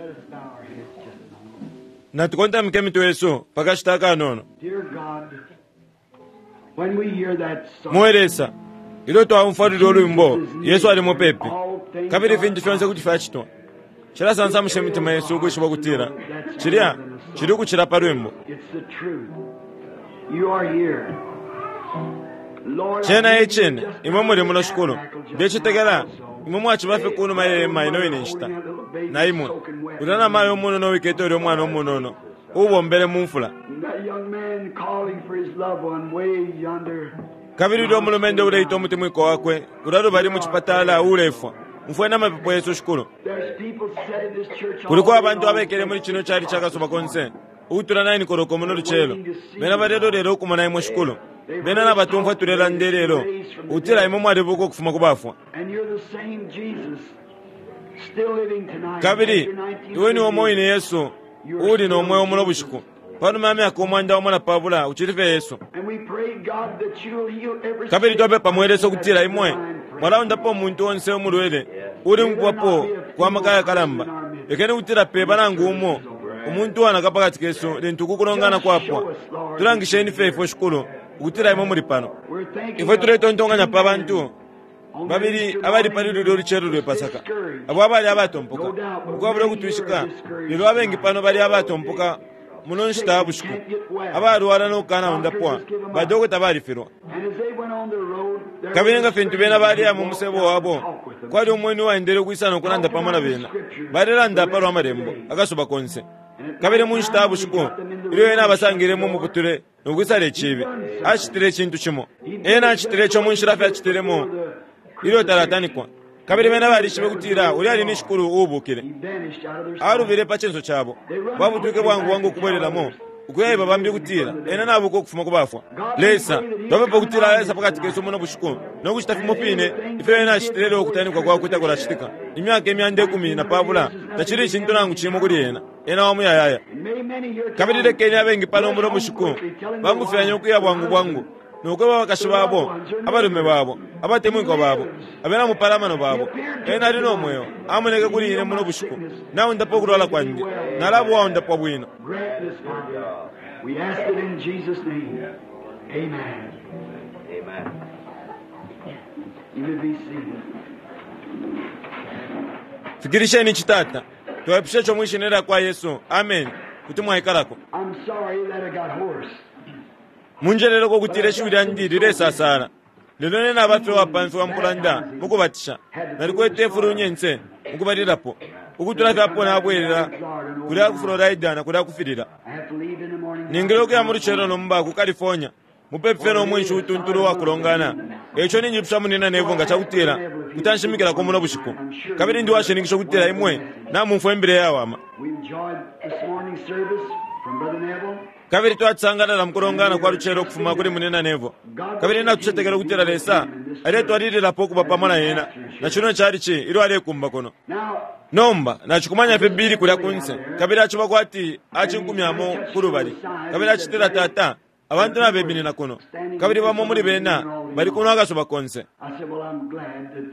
Let us bow our heads just a moment. Natukontamike imitwe yesu pakashita akanono. Dear God, when we hear that song, Mwe Lesa, ilyo twaumfwa lulyo lwimbo, Yesu ali mupepi, kabili ifintu fyonse kuti fyacitwa. Cilasansamusha imitima yesu ukwishiba ukutila cilya cili ukucila pa lwimbo. it's the truth. You are here. Lord, I Cena e believe cine, you just imwe muli come muno to the Shikulu. tabernacle just Ndecetekela now also. imwe mwaciba fye ku numa ye hema ino ine nshita. Na imwe, ulya namayo umunono uwikete ulya umwana umunono, uubombele mu mfula. And that young man calling for his loved one way yonder. Kabili ulya umulumendo uleita umutemwiko wakwe, ulya lubali mu cipatala uulefwa. Umfweni amapepo yesu, Shikulu. There's people sat in this church all Kuliko day abantu long. abekele muli cino cali ca kasuba konse, ukutula 9 koloko muno lucelo. Bena balelolelo ukumona imwe, Shikulu. Bena nabatumfwa tulelanda ilelo, ukutila imwe mwalibuka ukufuma ku bafwa. And you're the same Jesus, still living tonight. Kabili After iwe ni umo 1950 wine Yesu, uuli no mweo muno bushiku. Panuma ya myaka 110, ucili fye Yesu. And we pray, God, that you'll heal every Kabili sick twapepa mwe Lesa ukutila person imwe that's divine prayer. mwalaundapo umuntu onse umulwele uli mukubapo kwa maka yakalamba. Lekeni ukutila peba nangu umo umuntu uwanaka pakati kesu lintu uku kulongana kwapwa. Tulangisheni fye ifwe Shikulu ukutila imwe muli pano. We're thinking Ifwe of tuletontonkanya pa two bantu men on that babili Easter abali pali morning lulyo lucelo lwe Pasaka, discouraged. abo abali abatompoka ukwabula ukutwishika, lelo abengi pano bali abatompoka muno nshita ya bushiku, abalwala no kukanaundapwa, badokota balifilwa. And as they went on their road, there Kabili was nga a fintu stranger bena baleya who mu walked musebo out and wabo, talked with them. kwali umweni uwaendele ukwisa no kulanda pamo na bena. Balelanda palwa malembo akasuba konse. Kabili mu nshita ya bushiku, ilyo ena abasangile mu muputule no kwisala icibi, acitile icintu cimo. Ena acitile ico mu nshila fye acitilemo ilyo talatanikwa. Kabili bena balishibe kutila ulya ali ni Shikulu uubukile. He vanished out of their sight. Alubile pa cinso cabo. Babutwike bwangu bwangu ukubwelelamo, ukuyaiba bambi ukutila ena nabuka ukufuma ku bafwa. Lesa, twapepa ukutila alesa pakati kesu muno bushiku no kucita fimo fine ifyo ena acitile ilyo ukutanikwa kwakwe takulacitika. Imyaka 120 tacili icintu nangu cimo kuli ena. Ena wa muyayaya. And may many here Kabili tonight lekeni abengi pano muno rush home bushiku quickly, telling their bangufyanye wives, ukuya bwangu bwangu nokweba abakashi babo, abalume babo, abatemwikwa babo, abena mupalamano babo. Ena ali no mweo, amoneke kuli ine muno bushiku. Naundapa ukulwala kwandi, nalaba uwaundapwa bwino. Grant this, Father. We ask it in Jesus' name. Amen. Amen. You may be seated. Fikirisheni ici Tata. Twaipusha ico mwi shina lya kwa Yesu. Amen. Kuti mwaikalako. I'm sorry that I got hoarse. Munjeleleko ukutila ishiwi lyandi lilesasala. Lelo nene naba fye uwapamfiwa mukulanda mukubatisha. Nalikwete ifulunyense mukubalilapo. Ukutula fye apo nabwelela kulya ku Florida na kulya kufilila. I have to leave in the morning. Ningile ukuya mu lucelo nomba ku California. Mupepi fye no mwinshi utuntulu uwakulongana. Eico ninjipusha munina Neville nga cakutila kuti anshimikilako muno bushiku. Kabili ndi uwashininkisha ukutila imwe namumfwa imbila iyawama. We enjoyed this morning's service from Brother Neville. Kabili twacisangalala mukulongana kwa lucelo ukufuma kuli munina Neville. Kabili natucetekela ukutila Lesa aletwalililapo ukuba pamo na ena na cino calici ilyo alekumba kuno. Now, Nomba nacikumanya fye Billy kulya kunse, kabili aciba kwati acinkumyamo kulubali. Kabili acitila, Tata, abantu nabeminina kuno, kabili bamo muli bena bali kuno akasuba konse. I said, well, I'm glad that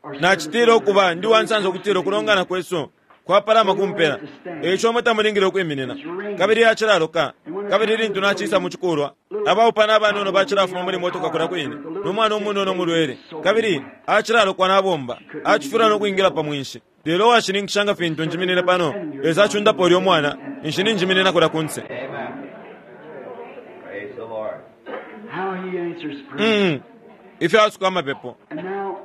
our Nacitile ukuba ndi uwansansa ukutila ukulongana kwesu kwapalama kumpela, eico imwe tamulingile ukwiminina. Kabili yacilaloka, kabili lintu nacisa mu cikulwa, abaupana abanono bacilafuma muli motoka kulya kwine, no mwana umunono umulwele, kabili acilalokwa nabomba, acifilwa no kwingila pa mwinshi. Lelo uwashininkisha nga fintu njiminine pano, Lesa acundapo ulya umwana, ninshi ninjiminina kulya kunse. Amen. Praise the Lord. How he answers prayer. Ifyo asuka amapepo. And now,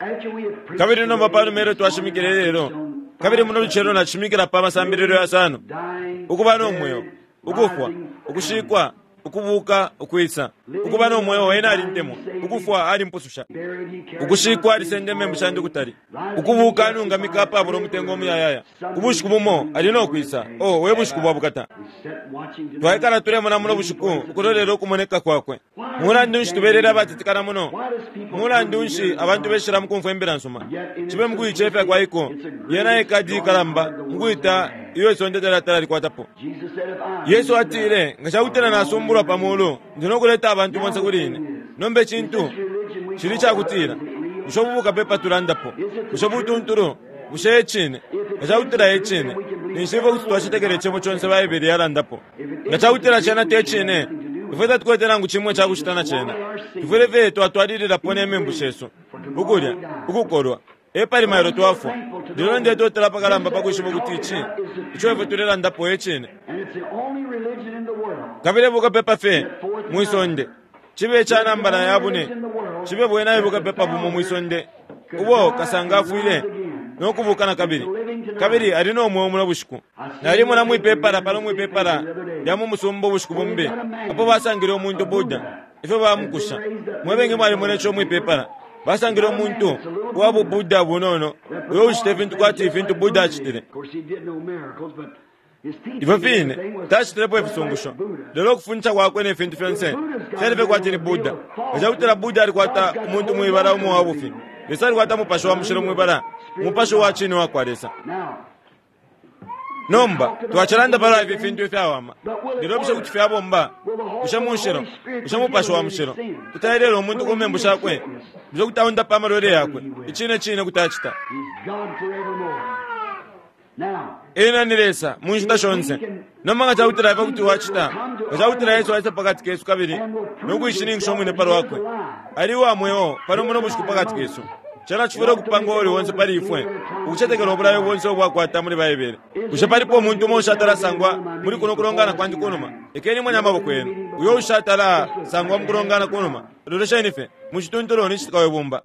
after we have preached Kabili nomba today, panuma ilyo twashimikile lelo, kabili muno lucelo nacishimikila pa masambililo yasano, dying, ukuba no mweo, buried, ukufwa, rising, ukushikwa, ukubuka, ukwisa. Ukuba no mweo ena alintemwa, ukufwa alimpususha. buried, he carried Ukushikwa my alisenda sins imembu shandi away. kutali. Rising, Ukubuka he anungamika apabula umutengo umuyayaya. justified, Ubushiku bumo ali no kwisa. Oh, we bushiku bwa bukata. We sat watching tonight. Twaikala tulemona muno bushiku ukulolela ukumoneka kwakwe. Mulandu nshi tubelela abatitikana muno? Mulandu nshi abantu beshila mukumfwa imbila nsuma? Cibe mukuicefya kwaiko, yena ekadi ikalamba mukuita iyo isonde talatala likwatapo. Jesus said, if I Yesu atile, nga cakutila nasumbulwa pa mulu, ndi no kuleta abantu bonse kuli ine. Nomba icintu cili cakutila, bushe ubu bukapepa tulandapo, bushe butuntulu, bushe e cine? Nga cakutila e cine, ninshi ifwe kuti twacetekela icebo conse Baibele yalandapo. Nga cakutila cena te cine, ifwe tatukwete nangu cimo icakucita na cena. Tufwile fye twatwalililapo ne membu shesu, ukulya, ukukolwa, epali mailo twafwa. Lelo ndetotela apakalamba pa kwishiba ukuti ici ico ifwe tulelandapo e cine. Kabili e bukapepa fye mwi sonde, cibe ica nambala ya bune, cibe bwena e bukapepa bumo mwi sonde ubo kasanga afwile no kubuuka na kabili, kabili ali no mweo muno bushiku. Nalimona mwipepala pano mwipepala lya mu musumba ubushiku bumbi, apo basangile umuntu Buddha, ifyo bamukusha. Mwe bengi mwalimona ico mwipepala. Basangile umuntu uwa bu Buddha bunono uyo ucita ifintu kwati fintu Buddha acitile. Ifyo fine, tacitilepo ifisungusho, lelo ukufundisha kwakwe ne fintu fyonse fyali fye kwati ni Buddha. Nga ca kutila Buddha alikwata umuntu mwibala umo wa bufi, Lesa alikwata Mupashi wa Mushilo mwibala, Umupashi uwa cine uwakwa Lesa. Nomba, twacilanda palwa ifi fintu ifyawama, lelo bushe kuti fyabomba? Bushe mushilo? Bushe Mupashi wa Mushilo kuti aelela umuntu ku membu shakwe? Bushe kuti aundapa amalwele yakwe? Icine cine kuti acita. Ena ni Lesa mu nshita shonse. Nomba nga cakutila ifwe kuti wacita, nga cakutila Yesu aisa pakati kesu kabili no kuishininkisha umwine pa lwakwe, ali uwa mweo pano muno bushiku pakati kesu, cena cifwile ukupanga uuli onse pali ifwe ukucetekela ubulayo bonse ubwakwata muli Baibele. Bushe palipo umuntu umo ushatala sangwa muli kuno kulongana kwandi kunuma? Lekeni mone amaboko yenu. Uyo ushatala sangwa mu kulongana kunuma, lolesheni fye. Mu cituntulu ni citika we bumba.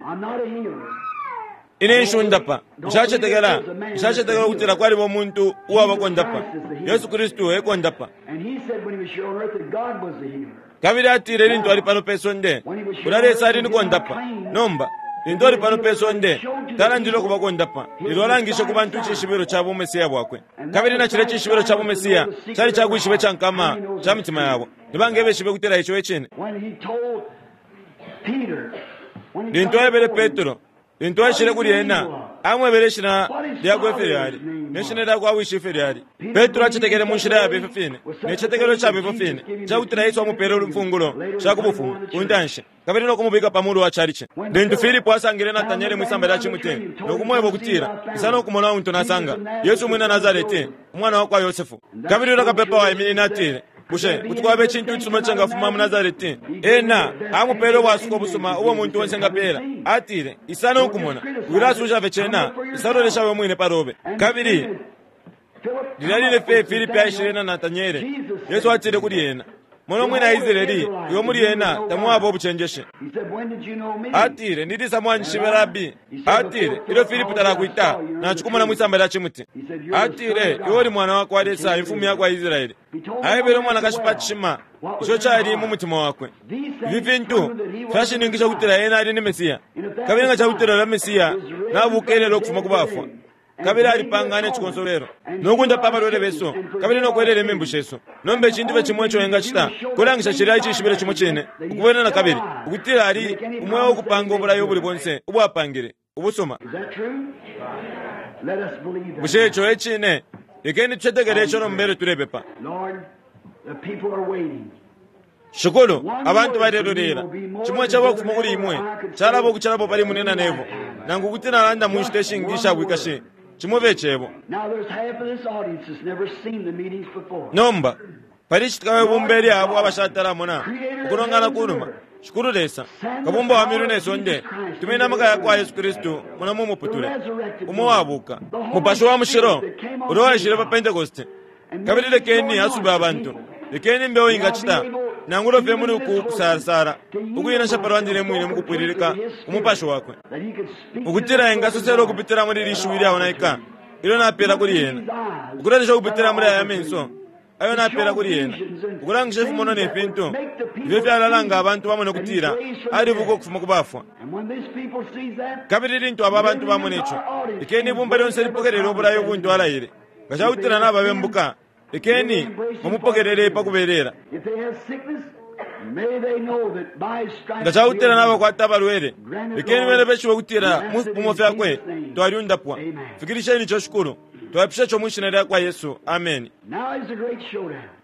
Ine nshundapa. Nshacetekela, nshacetekela ukutila kwaliba umuntu uwaba kondapa. Yesu Kristu e kondapa. Kabili atile lintu ali pano pe sonde, Ulya Lesa ali ni kondapa. Nomba, lintu ali pano pe sonde, talandile ukuba kondapa, lelo alangishe ku bantu icishibilo ca buMesiya bwakwe. Kabili na cilya cishibilo ca buMesiya cali ca kwishiba ica nkama ca mitima yabo. Ni banga ebeshibe ukutila ico e cine? Lintu aebele Petro, lintu aishile kuli ena, amwebele ishina lyakwe ifyo lyali, ne shina lya kwa wishi ifyo lyali. Petro acetekele mu nshila yaba ifyo fine, ne citetekelo caba ifyo fine, ica kutila Yesu amupele imfungulo sha ku Bufumu ku ntanshi, kabili no kumubika pa mulu wa calici. Lintu Filipo asangile Nataniele mwi samba lya cimuti no kumweba ukutila, Isa no kumona untu nasanga, Yesu umwina Nasarete, umwana wa kwa Yosefu. Kabili ulya kapepa waiminine atile, Bushe kuti kwaba icintu icisuma icingafuma mu Nasareti? Ena amupele ubwasuko busuma ubo umuntu onse engapeela. Atile, Isa no kumona. Wilasusha fye cena, isa lolesha we mwine pa lobe. Kabili lilya line fye Filipi aishile na Nataniele, Yesu atile kuli ena, Mona umwina Israeli, uyo muli ena tamwaba ubucenjeshi. Atile, Ni lisa mwanjishibe, Rabi? Atile, Ilyo Filipi talakwita, nacikumona mwi samba lya cimuti. Atile, Iwe uli Mwana wa kwa Lesa, Imfumu ya kwa Israele. Aebele umwanakashi pa cishima ico cali mu mutima wakwe. Ifi fintu fyashininkishe ukutila ena ali ni Mesia. Kabili nga ca kutila ulya Mesia nabuuka ilelo ukufuma ku bafwa, kabili alipanga ne cikonsolwelo, no kundapa abalwele besu, kabili no kwelela imembu shesu, nomba icintu fye cimo ico engacita kulangisha cilya icishibilo cimo cine, ukubwela na kabili, ukutila ali umweo ukupanga ubulayo ubuli bonse ubwapangile, ubusuma. Bushe ico e cine? Lekeni tucetekele ico nomba ilyo tulepepa. Shikulu, abantu balelolela. Cimo icaba ukufuma kuli Imwe, calaba ukucilapo pali Munyina Neville, nangu kuti nalanda mu nshita ishingi isha bwikashi. Cimo fye Cebo. Nomba, pali citika we bumba ilya abo abashatala mona ukulongana kunuma. Shikulu Lesa, Kabumba wa myulu ne sonde, tumeni amaka yakwa Yesu Kristu muno mu muputule, umo uwabuka, Mupashi wa Mushilo ulya uwaishile pa Pentekoste. Kabili lekeni asube abantu. Lekeni imbeho ingacita, nangula fye muli uku kusalasala, ukuinasha palwa ndine mwine mukupwililika ku Mupashi Wakwe, ukutila engasosela ukupitila muli ili shiwi ilyaonaika ilyo napela kuli ena, ukulolesha ukupitila muli aya menso ayo napela kuli ena, ukulangisha ifimonwa ne fintu ifyo fyalalanga abantu bamone ukutila alibuka ukufuma ku bafwa. Kabili lintu aba bantu bamona ico, lekeni ibumba lyonse lipokelele ubulayo buntu alaile. Nga ca kutila nababembuka, lekeni bamupokelele pa kubelela. Nga ca kutila nabakwata abalwele, lekeni bene beshibe ukutila mu fipumo fyakwe twalyundapwa. Fikilisheni ico, Shikulu. Twaipusha ico mwi Shina lyakwa Yesu. Ameni.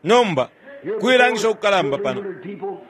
Nomba, kuilangisha ukukalamba pano,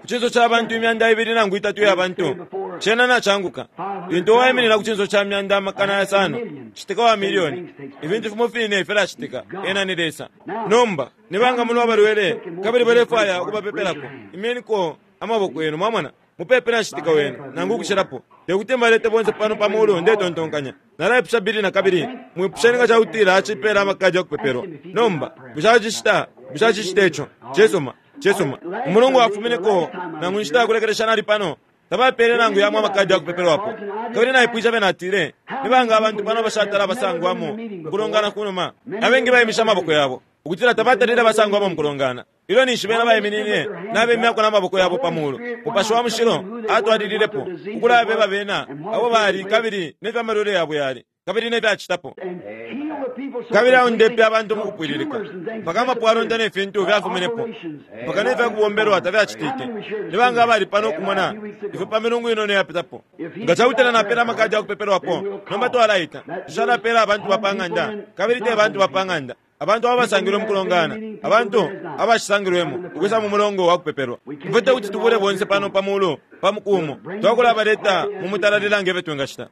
ku cinso ca bantu imyanda ibili nangu itatu iya bantu, Cena nacanguka. Lintu waiminina ku cinso ca myanda 500, citika wa milioni, ifintu fimo fine filacitika. Ena ni Lesa. Nomba, ni banga muno abalwele kabili balefwaya ukubapepelako? Imyeniko amaboko yenu, mwamona. Mupepe na citika wenu, nangu ukucilapo. Te kuti mbalete bonse pano pa mulu, ndetontonkanya. Nalaipusha Billy na kabili, mwipusheni nga cakutila acipela amakadi ya kupepelwa. Nomba, bushe acicita? Bushe acicita ico? Cisuma, cisuma. Umulungu wafumineko, nangu inshita ya kulekelesha nali pano, tabapele nangu yamo amakadi ya kupepelwapo. Kabili naipwishe bena atile, ni banga abantu pano bashatala basangwamo mukulongana kunuma? Abengi baimisha amaboko yabo, ukutila tabatalile basangwamo mukulongana. Ilyo ninshi bena baiminine nabemyako na maboko yabo pa mulu, Mupashi wa Mushilo atwalililepo ukulabeba bena abo bali kabili ne fya malwele yabo yali kabili ne fyacitapo. Kabili aundepe abantu mu kupwililika, mpaka amapwalonda ne fintu fyafuminepo, mpaka ne fyakubombelwa tafyacitike. Ni banga abali pano ukumona ifyo pa milungu inono yapitapo? Nga cakutila napela amakadi ya kupepelwapo, nomba twalaita. Tushalapela abantu ba pa ng'anda, kabili te bantu ba pa ng'anda. Abantu abo basangilwe mu kulongana, abantu abashisangilwemo ukwisa mu mulongo wa kupepelwa. Ifwe te kuti tubule bonse pano pa mulu pa muku umo, twakulabaleta mu mutalalila nge fyo twingacita.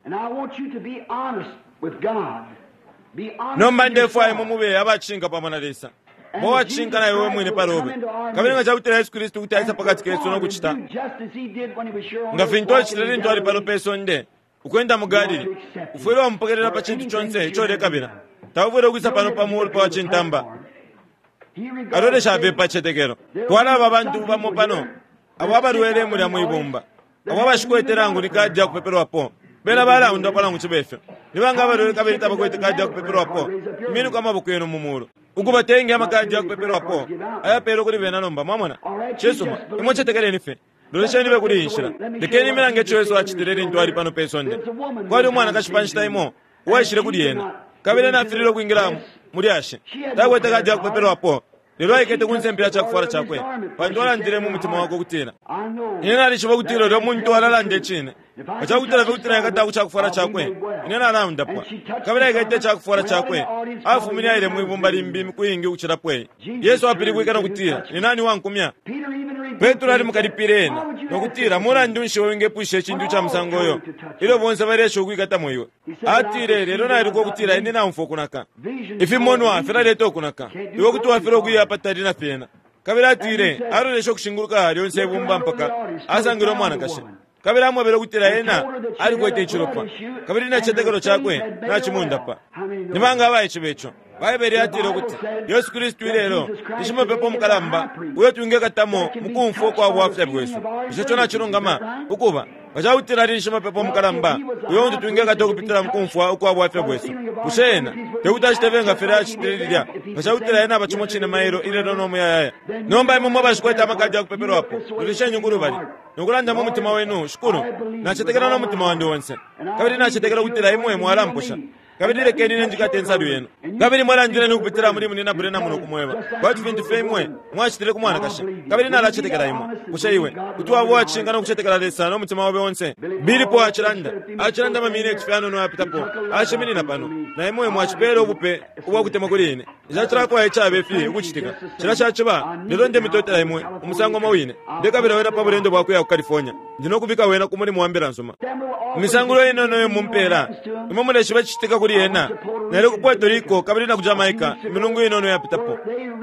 Nomba ndefwaya imwe mube abacishinka pamo na Lesa. Ba uwacishinka na iwe we mwine palobe. Kabili nga cakutila Yesu Kristu kuti aisa pakati kesu no kucita nga fintu acitile lintu ali pano pe sonde, ukwenda mu Galili, ufwile wamupokelela pa cintu conse ico ulekabila. Taufwile ukwisa pano pa mulu pa cintamba. Alolesha fye pa citetekelo. Kwalaba abantu bamo pano abo abalwele mulya mwi bumba, abo abashikwete nangu ni kadi ya kupepelwapo. Bena balaundapwa nangu cibe fyo. Ni banga abalwele kabili tabakwete kadi ya kupepelwapo? Iminuko amaboko yenu mu mulu. Ukuba tenge amakadi ya kupepelwapo ayapeelwe kuli bena nomba, mwamona. Cisuma, imwe cetekeleni fye. Lolesheni fye kuli iyi nshila. Lekeni imilange ico Yesu acitile lintu ali pano pe sonde. Kwali umwanakashi pa nshita imo uwaishile kuli ena, kabili ena afililwe ukwingila mu lyashi. Takwete kadi ya kupepelwapo, lelo aikete ku nsempe ya ca kufwala cakwe, pantu alandile mu mutima wakwe ukutila, Ine nalishiba ukutila ulya muntu alalanda icine. Nga ca kutila fye kuti naikata ku ca kufwala cakwe, ine nalaundapwa. Kabili aikete ica kufwala cakwe, afumine aile mwi bumba limbi imiku iingi ukucilapo iyi. Yesu apilibwike no kutila, Ni nani uwankumya? Petro alimukalipile ena, no kutila, Mulandu nshi iwe wingepwisha icintu ica musango uyo, ilyo bonse baleesha ukwikatamo iwe? Atile, Lelo nailuka ukutila ine naumfwa ukunaka. Ifimonwa filaleta ukunaka. Iwe kuti wafilwa ukuya apatali na fyena. Kabili atile, aloleshe ukushinguluka lyonse ibumba mpaka asangile umwanakashi. Kabili amwebele ukutila ena alikwete icilopa, kabili ne citetekelo cakwe nacimundapa. Ni banga abaishiba ico? Baibele yatile ukuti Yesu Kristu ilelo ni Shimapepo Mukalamba uyo twingekatamo mu kumfwa ukwa bwafya bwesu. Bushe ico nacilungama? Ukuba, nga ca kutila ali ni Shimapepo Mukalamba uyo untu twingekata ukupitila mu kumfwa ukwa bwafya bwesu, bushe ena te kuti acite fye nga filya acitile lilya, nga ca kutila ena aba cimo cine mailo, ilelo, no muyayaya? Nomba imwe mwe bashikwete amakadi ya kupepelwapo, lolesheni uku lubali, no kulanda mu mutima wenu, Shikulu, nacetekela no mutima wandi onse, kabili nacetekela ukutila Imwe mwalamposha. Kabili lekeni ine njikate insalu yenu. Kabili mwalandileni ukupitila muli Munyina Branham no kumweba, kwati fintu fye imwe mwacitile ku mwanakashi. Kabili nalacetekela imwe. Bushe iwe kuti waba uwacishinka no kucetekela Lesa no mutima obe onse? Billy Paul acilanda, acilanda ama mineti fye ayanono ayapitapo, aciminina pano, na imwe mwacipela ubupe ubwa kutemwa kuli ine. Nshacilafwaya icabe fi ukucitika. Cilya caciba, lelo ndemitotela imwe umusango umo wine. Ndekabila wena pa bulendo bwa kuya ku California. Ndi no kubika wena ku mulimo wa Mbila nsuma. Imisangulo inono iyo mumpeela, imwe muleshiba icicitika kuli yena. Nali ku Puerto Rico kabili na ku Jamaica imilungu inono iyapitapo,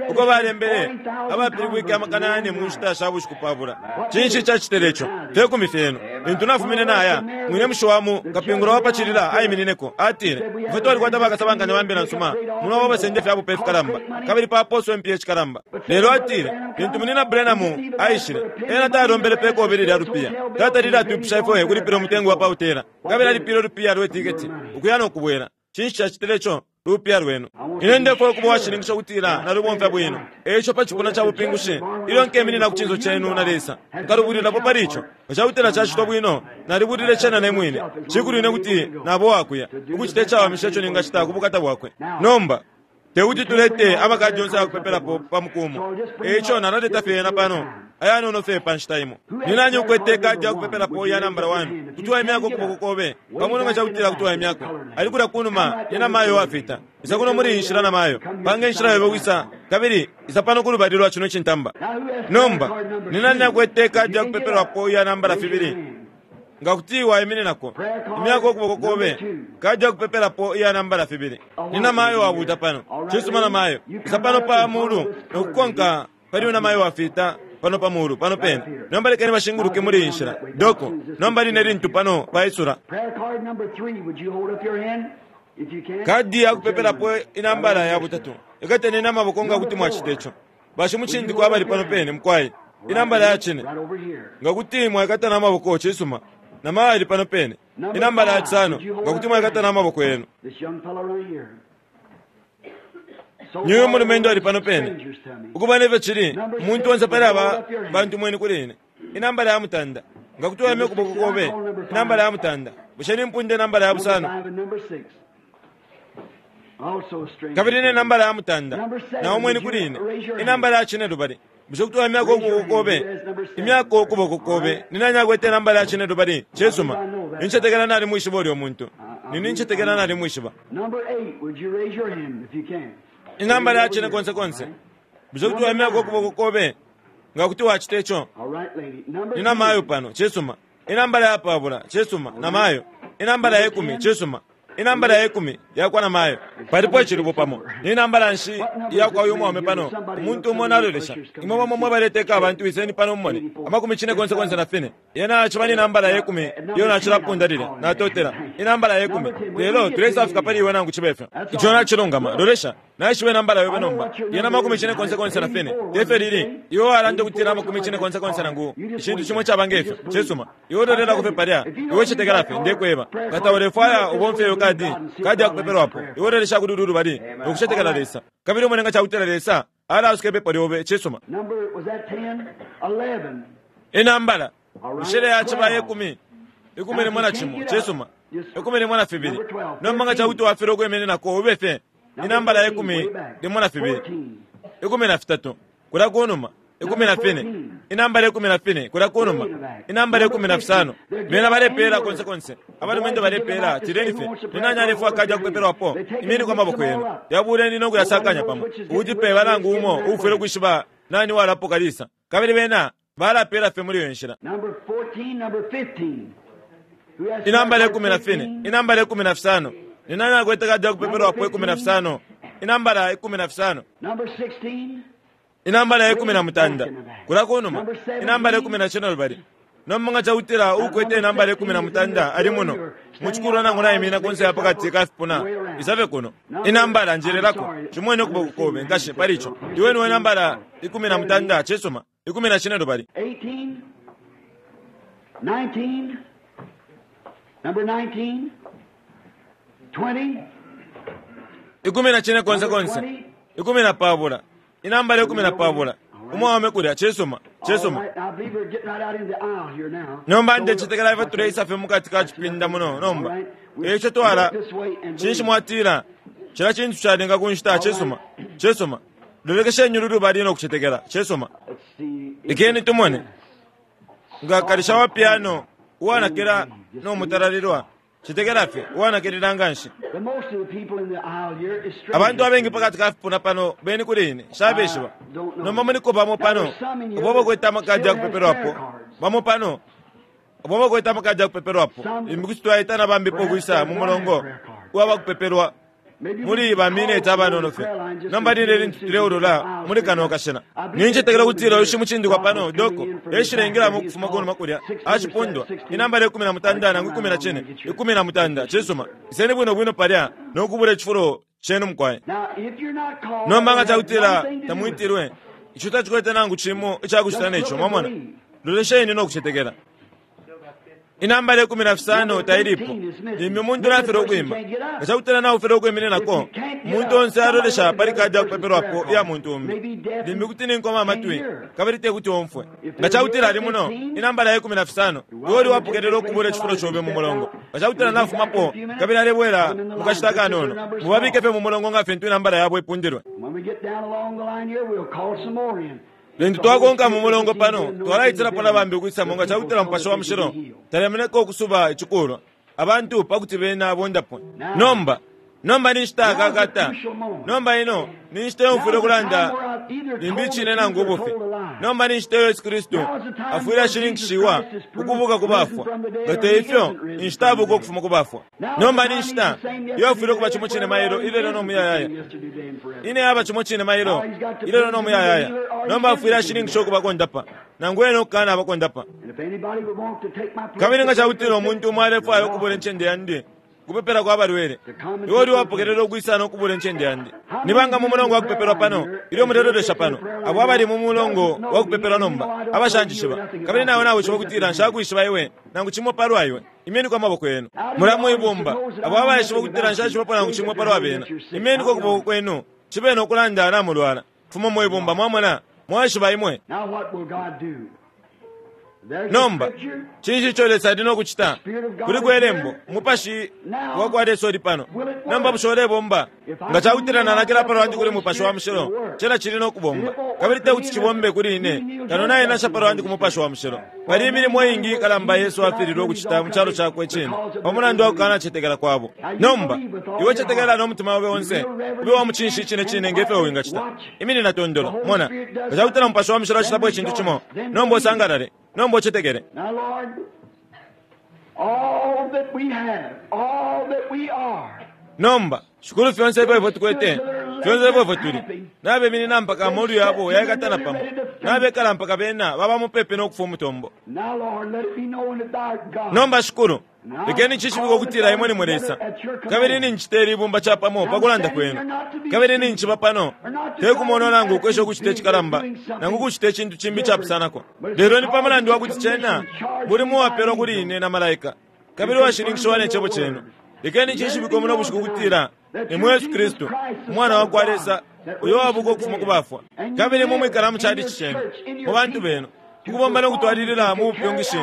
uko balembele abapilibwike 4,000 mu nshita sha bushiku pabula. Cinshi icacitile ico? Fyekumi fyenu. Lintu nafumine naya, mwine mushi wa mu kapingula wa pa cilila aiminineko, atile, Ifwe twalikwata bakasabankanya ba mbila nsuma muno abo abasenda ifya bupe ifikalamba, kabili papooswa impiya ishikalamba. Lelo atile, Lintu Munyina Branham aishile, ena talombele pe kobili lya lupiya. Tatalile atwipusha ifwe ukulipila umutengo wa pa hotela, kabili alipile ulupiya lwe tiketi ukuya no kubwela. Cinshi cacitile co? Lupiya lwenu. Ine ndefwaya ukuba uwashininkisha ukutila nalubomfya bwino. E ico pa cipuna ca bupingushi, ilyo nkeminina ku cinso cenu na Lesa, nkalubulwilapo pali ico. Nga ca kutila cacitwa bwino, nalibulile cena ne mwine. Cikulu ine kuti naba uwakuya, ukucita icawamisha ico ningacita ku bukata Bwakwe. Nomba, te kuti tulete amakadi yonse aya kupepelapo pa muku umo, e ico nalaleta fye yena pano, ayanono fye pa nshita imo. Ni nani ukwete ikadi ya kupepelapo iya nambala 1? Kuti waimyako ukuboko kobe pamulu nga ca kutila kuti waimyako. Ali kulya kunuma, ni namayo uwafita. Isa kuno muli iyi nshila, namayo. Panga inshila yobe ukwisa, kabili isa pano kulubali lwa cino cintamba. Nomba, ni nani akwete ikadi ya kupepelwapo iya nambala 2? Nga kuti waimininako, imyako ukuboko kobe. Kadi ya kupepelapo iya nambala fibili. Ni namayo wabuta pano. Cisuma namayo. Isa pano pa mulu no kukonka pali namayo wafita pano pa mulu pano pene. Nomba lekeni bashinguluke muli iyi nshila. Doko, nomba line lintu pano paisula. Prayer card number 3, would you hold up your hand if you can? Kadi ya kupepelapo inambala ya butatu. Ikateni n'amaboko nga kuti mwacita ico. Bashimucindiko abali pano pene mukwai. Inambala ya cine. Right over here. Nga kuti mwaikata n'amaboko cisuma. Namayo ali pano pene. Inambala ya cisano. Nga kuti mwaikata n'amaboko yenu. This young fellow right here. So Niyo far, mulumendo ali pano pene. strangers to me. Ukuba nefyo cili, umuntu onse pali aba bantu mweni kuli ine. Inambala ya mutanda. Nga kuti wayamya ukuboko kobe. Inambala ya mutanda. Bushe nimpunde inambala ya Number busano. 5 and number 6. Also strangers. Kabili to ne me. nambala ya mutanda. Na umweni kuli ine. Inambala ya cine lubali. Bushe kuti wayamyako ukuboko kobe. Imyako ukuboko kobe. Ni nani akwete inambala ya cine lubali? Cisuma. Nincetekela nali mwishiba ulyo muntu. Ni nincetekela nali mwishiba. Number 8, would you raise your hand if you can? Inambala ya cine konse konse. Bushe kuti wayamyako ukuboko kobe. Nga kuti wacita ico. All right, lady. Number Nina mayo 10. pano cisuma. Inambala ya pabula cisuma na mayo. Inambala ya ikumi cisuma. Inambala ya ikumi yakwa na mayo. Palipo icilubo pamo. Ni nambala nshi yakwa uyu mwaume pano. Umuntu umo nalolesha. Imwe bamo mwe baleteka abantu iseni pano mumone. Amakumi cine konse konse na fine. Yena aciba ni nambala ya ikumi iyo nacilapunda lilya. Natotela. Inambala ya ikumi. Lelo tulesafika pali iwe nangu cibe ifyo. Ico nacilungama. Lolesha. Naishiwe nambala yobe nomba. Yena makumi cine konse konse na fine. Tefe lili. Iwe walanda kutila amakumi cine konse konse nangu. Icintu cimwe caba ngefyo. Cisuma. Iwe ulolela kufe palya. Iwe cetekela fye. Ndekweba. Kata ulefwaya ubomfye iyo kadi. Kadi ya kupepelwapo. Iwe ulolesha kuli ulu lubali. Nokucetekela Lesa. Kabili umone nga cakutila Lesa. Alaasuka ipepo lyobe. Cisuma. Number, was that 10? 11. Inambala. Mishele yaciba yekumi. Ikumi limo na cimo. Cisuma. Ikumi limo na fibili. Nomba nga cakuti wafilwa ukwiminинako ube fye. Inambala yekumi limo na fibili. 14. Ikumi na fitatu. Kula kunuma. Ikumi na fine. Inambala ikumi na fine. Kula kunuma. Inambala ikumi na fisano. Bena balepeela konse konse. Abalumendo balepeela. Tileni fye. Ni nani alefwaya kadi ya kupepelwapo? Imeni kwa maboko yenu. Yabuleni no kuyasakanya pamo. Ukuti pe balangu umo uufwile ukwishiba nani walapoka lisa. Kabili bena balapeela fye muli iyo nshila. Number 14, number 15. Who has Inambala prayer ikumi na card fine. 15? Inambala ikumi na fisano. Ni nani akwete kadi ya kupepelwapo ikumi na fisano? Inambala ikumi na fisano. Number 16. Inambala ikumi na mutanda. Kula kunuma. Inambala ikumi na cine lubali. Nomba nga cakutila ukwete inambala ikumi na mutanda ali muno. Muchikulwa nangu nayimina kunse ya pakati ka fipuna. Isave kuno. Inambala njelelako. Chimwene ukuboko kobe nkashi pali ico. Iwe niwe nambala ikumi na mutanda cisuma. Ikumi na cine lubali. 18. 19. Number 19. 20. Ikumi na cine konse konse. Ikumi na pabula. Inambala ikumi na pabula. Umwaume kulya cisuma. All Cisuma. right, I believe we're getting right out in the aisle here now. Nomba ndecetekela ife tuleisa fye mukati ka cipinda muno nomba. Eico twala cinshi mwatila cila cintu calinga ku nshita cisuma. Cisuma. Lolekesheni ulu lubali no kucetekela. Cisuma. Let's see. Lekeni tumone. Nga kalisha wa piano uwanakila no mutalalilwa. Cetekela fye uwanakilila nganshi. The most of the people in the aisle here is strangers. Abantu abengi pakati ka fipuna pano beni kuli ine shabeshiba. Nomba muliko bamo pano abo bakwete amakadi ya kupepelwapo. Bamo pano abo bakwete amakadi ya kupepelwapo. Limbi kuti twaita na bambipo ukwisa mu mulongo uwa bakupepelwa Maybe we muli could ba minute call abanono the fye. prayer line just Nomba to lile see lintu the tuleulula aisle muli kano street. kashina. I believe Nincetekela that kutila uyu shimucindikwa pano God doko coming in from the eshilengela back mu there. kufuma kunuma kulya He's acipundwa called inambala ikumi na mutanda nangu ikumi na cine ikumi na mutanda cisuma iseni bwino bwino palya nokubula icifulo cenu mukwaye. Now, if you're not called, Nomba nga that has cakutila one thing to do with it. tamwitilwe ico tacikwete nangu cimo icakucita neco mwamona lolesheni nokucetekela. Inambala ikumi na fisano tailipo limbi umuntu nafele ukwima nga cakutila naufele ukwiminинako umuntu onse alolesha pali kadi yakupepelwapo iya muntu umbi limbi kuti ninkoma amatwi kabili tekuti omfwe nga cakutila ali muno inambala ya ikumi na fisano iwe uli wapokelela ukubula icifulo cobe mu mulongo nga cakutila nafumapo kabili alebwela mu kashita kanono mubabike fye mu mulongo nga fintu inambala yabo ipundilwe. When we get down along the line here, we'll call some more in. Lintu twakonka mu mulongo pano twalaitirapo na bambi ukwisamo nga cakutila Mupashi wa Mushilo talemeneka ukusuba icikulwa abantu pakuti bena bondapo. Nomba nomba ni nshita yakakata. Nomba ino ni nshita yomfwile ukulanda limbi icine nangu ubufi. Nomba ni nshita iyo Yesu Kristu afwile ashininkishiwa ukubuka ku bafwa. Nga te ifyo, inshita abuka ukufuma ku bafwa. Nomba ni nshita iyo afwile ukuba cimo cine mailo, ilelo no muyayaya. Ine aba cimo cine mailo, ilelo no muyayaya. Nomba afwile ashininkisha ukuba kondapa, nangu ena ukukana aba kondapa. Kabili nga cakutila umuntu umo alefwaya ukubula incende yandi, kupepela kwa balwele, iwe uli wapokelela ukwisa no kubula incende yandi. Ni banga mu mulongo wa kupepelwa pano, ilyo mulelolesha pano, abo abali mu mulongo wa kupepelwa nomba, abashanjishiba, kabili nawe nawishiba ukutila nshakwishiba iwe, nangu cimo palwa iwe, imeniko amaboko yenu. Mula mwibumba, abo abaishiba ukutila nshaishibapo nangu cimo palwa bena, imeniko ukuboko kwenu, cibe no kulanda namulwala. Fuma mwibumba, mwamona, mwaishiba imwe. Now what will God do? There's the Nomba, scripture. cinshi ico Lesa ali no kucita? Kuli kwelembo, umupashi wa kwa Lesa uli pano. Nomba bushe ulebomba? Nga cakutila nanakila palwandi kuli mupashi wa mushilo, cena cili no kubomba. Kabili te kuti cibombe kuli ine, kano nainasha palwandi ku mupashi wa mushilo. Pali imilimo iingi ikalamba Yesu afililwe ukucita mu calo cakwe cine, pa mulandu wa kukanacetekela kwabo. Nomba, iwe cetekela no mutima obe onse, ube wa mucinshi icine cine nge fyo wingacita. Iminina tondolo, mona, nga cakutila mupashi wa mushilo acitapo icintu cimo, nomba usangalale, nomba ucetekele. Now, Lord, all that we have, all that we are, Nomba, shukulu fyonse ifyo ifwe tukwete, fyonse ifyo ifwe tuli, nabeminina mpaka amolu yabo yaikatana pamo, nabekala mpaka bena baba mupepi no kufa umutombo. now, Lord, let it be known that thou art God. Nomba shukulu, lekeni cishibike ukutila imwe ni mwe Lesa, kabili ninchita ili ibumba capamo pa kulanda kwenu, kabili ninchiba pano, te kumona nangu ukwesha ukucita icikalamba, nangu ukucita icintu cimbi icapusanako. Lelo ni pa mulandu wa kuti cena mulimo uwapelwa kuli ine na malaika, kabili washininkishiwa ne cebo cenu. Lekeni cishibike muno bushiku ukutila ni mwe Yesu Kristu, umwana wa kwa Lesa, uyo wabuka ukufuma ku bafwa. Kabili mumwikala mu chalichi cenu, mu bantu benu, ukubomba no kutwalilila mu bupyungishi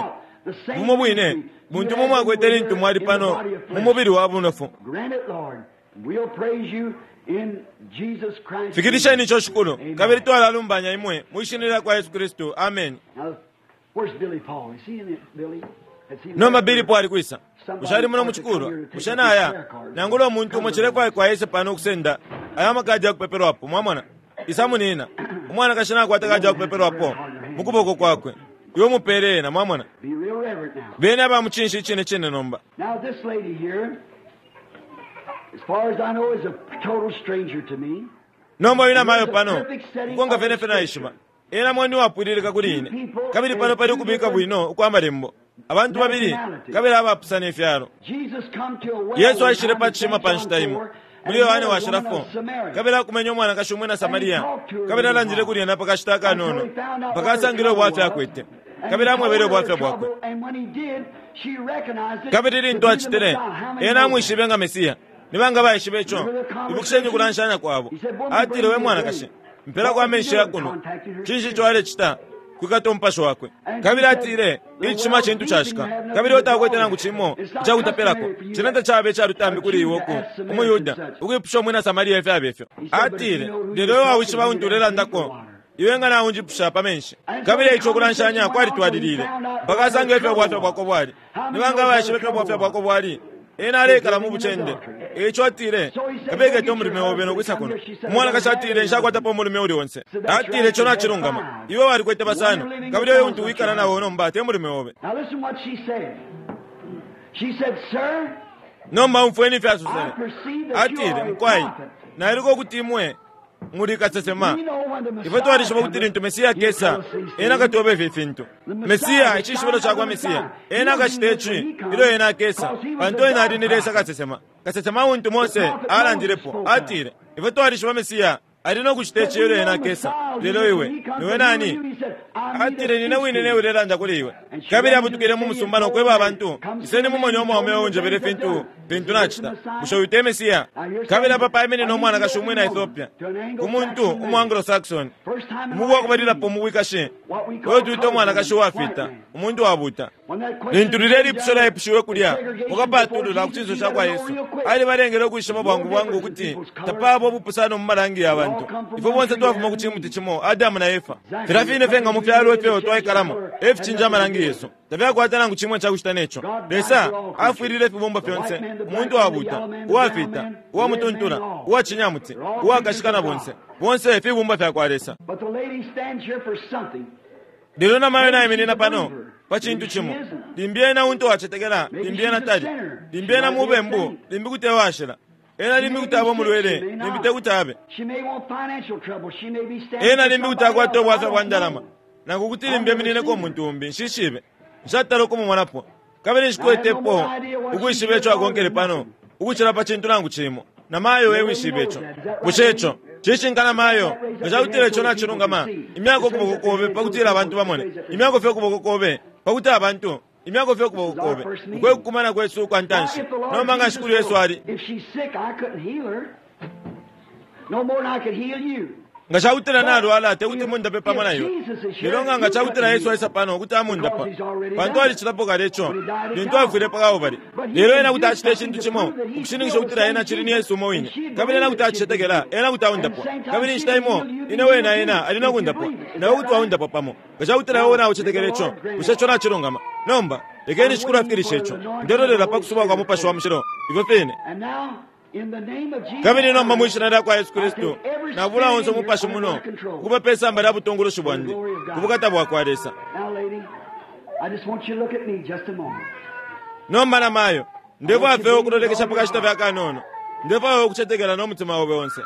bumo bwine buntu mumwe akwete lintu mwali pano mu mubili wa bunofu. Grant it, Lord. We'll praise you in Jesus Christ. Fikirisheni ico shukulu, kabili twalalumbanya imwe mu ishina lya kwa Yesu Kristu. Amen. Now, where's Billy Paul? Is he in it, Billy? Has he Nomba left? Billy Paul ali kwisa? Bushe ali muno mu chikulwa? Bushe naya? Nangula umuntu umo cilefwaya kwa Yesu pano ukusenda aya makadi ya kupepelwapo, mwamona? Isa munina. Umwanakashi nakwata kadi ya kupepelwapo mu kuboko kwakwe. Iwe mupele ena, mwamona? Be real reverent now. Bene aba mucinshi icine cine nomba. Now, this lady here, as far as I know, is a total stranger to me. Nomba uyu namayo pano, kukonka fene fene naishiba. Ena mwani wapwililika kuli ine. Kabili pano pali ukubika bwino ukwa malembo. Abantu babili, kabili abapusana ifyalo. Jesus come to a well Yesu one aishile time pa in cishima St. pa John nshita imo. 4, Muli and Yohane met a washila woman of 4. Samaria. Kabili akumenye umwanakashi umwina Samaria. Kabili alandile kuli ena pa kashita akanono. Mpaka asangile ubwafya akwete. Kabili amwebele ubwafya bwakwe. Kabili lintu acitile, ena amwishibe nga Mesiya. Ni banga baishibe ico? Ibukisheni ukulanshanya kwabo. Atile, we mwanakashi, mpelako amenshi ya kuno. Cinshi ico alecita? Kwikata umupashi wakwe. Kabili atile, icishima cintu cashika. Kabili utakwete nangu cimo icakutapelako. Cena tacaba icalutambi kuli iwe uku, umuyuda, ukwipusha umwina Samaria ifyaba ifyo. Atile, lelo iwe wawishiba untu ulelandako, iwe nga naunjipusha pa menshi. Kabili ico ukulanshanya kwalitwalilile mpaka asange ifyo ubwafya bwako bwali. Ni banga baishiba ifyo ubwafya bwako bwali? Ena alekala mu bucende. Eico atile, kabekete umulume obe nokwisa kuno. Umwanakashi atile, nshakwatapo umulume uli onse. Atile, ico nacilungama. Iwe walikwete basano, kabili uyo untu wikala nawo nomba te mulume obe. Now listen what she said. She said, Sir, Nomba umfweni ifyo I asosele. perceive that you Atile, are a mukwai, prophet. nailuka ukuti imwe muli kasesema. We know when the Ifwe Messiah twalishiba ukuti cometh, lintu Mesiya he'll tell akesa, us these ena things. akatweba ifi fintu. Mesiya, icishibilo cakwa Mesiya, ena akacita ici ilyo ena akesa, pantu ena ali ni Lesa kasesema. Kasesema untu Mose alandilepo, atile, ifwe twalishiba Mesiya ali no kucita ici ilyo ena akesa. Lelo iwe, niwe nani? Atile, nine wine newe ulelanda kuli iwe. Kabili abutukile mu musumba no kweba abantu, iseni mumone umwaume unjebele fintu, fintu nacita. Bushe uyu te Mesiya? Kabili apa paiminine umwanakashi umwina Ethiopia, ku muntu umu Anglo-Saxon, First time in umuku wakubalilapo mu bwikashi, what we uyo call twita umwanakashi uwafita, white man. umuntu wabuta. Lintu lilye lipusho lyaipushiwe kulya mukapatulula ku cinso ca kwa Yesu, alibalengele ukwishiba bwangu bwangu ukuti tapaba ubupusano mu malangi ya bantu. Ifwe bonse twafuma ku cimuti cimo, Adamu na Efa. Filya fine fye nga mu fyalo ifyo twaikalamo e ficinja amalangi yesu, tafyakwata nangu cimo ica kucita ne co. Lesa afwilile ifibumbwa fyonse, umuntu wabuuta, uwafiita, uwamutuntula, uwa cinyamuti, uwakashika na bonse. Bonse fibumbwa fya kwa Lesa. Lelo namayo naiminina pano pa cintu cimo. Limbi ena untu wacetekela, limbi ena tali. Limbi ena mubembu, limbi kuti ewashila. Ena limbi kuti aba umulwele, limbi te kuti abe. Ena limbi kuti akwata ubwafya bwa ndalama, nangu kuti limbi eminineko umuntu umbi. Nshishibe. Nshatala ukumumonapo. Kabili nshikwetepo ukwishiba ico akonkele pano ukucila pa cintu nangu cimo. Namayo e wishibe ico. Bushe ico cishinka namayo? Nga ca kutila ico nacilungama, imyako ukuboko kobe pa kutila abantu bamone. Imyako fye ukuboko kobe pa kuti abantu. Imyako fye ukuboko kobe. Uku e kukumana kwesu ukwa ntanshi. Nomba nga Shikulu Yesu ali. Nga ca kutila nalwala, te kuti mundape pamo na iwe. Lelo nga nga ca kutila Yesu aisa pano, kuti amundapa, pantu alicilapo kale ico lintu afwile pa Kalbale. Lelo ena kuti acita icintu cimo ukushininkisha ukutila ena acili ni Yesu umo wine, kabili ena kuti acicetekela, ena kuti aundapwa. Kabili inshita imo ine wena ena ali no kundapwa, na iwe kuti waundapwa pamo, nga ca kutila iwe naucetekela ico. Bushe ico nacilungama? Nomba lekeni Shikulu afikilishe ico. Ndelolela pa kusubwa kwa Mupashi wa Mushilo, ifyo fine. Kabili nomba mwi Shina lyakwa Yesu Kristu, nabula onse umupashi muno ukuba pe samba lya butungulushi bwandi, ku bukata bwakwa Lesa. Nomba namayo, ndefwaya fye ukulolekesha pa kashita fye akanono. Ndefwaya ukucetekela no mutima obe onse.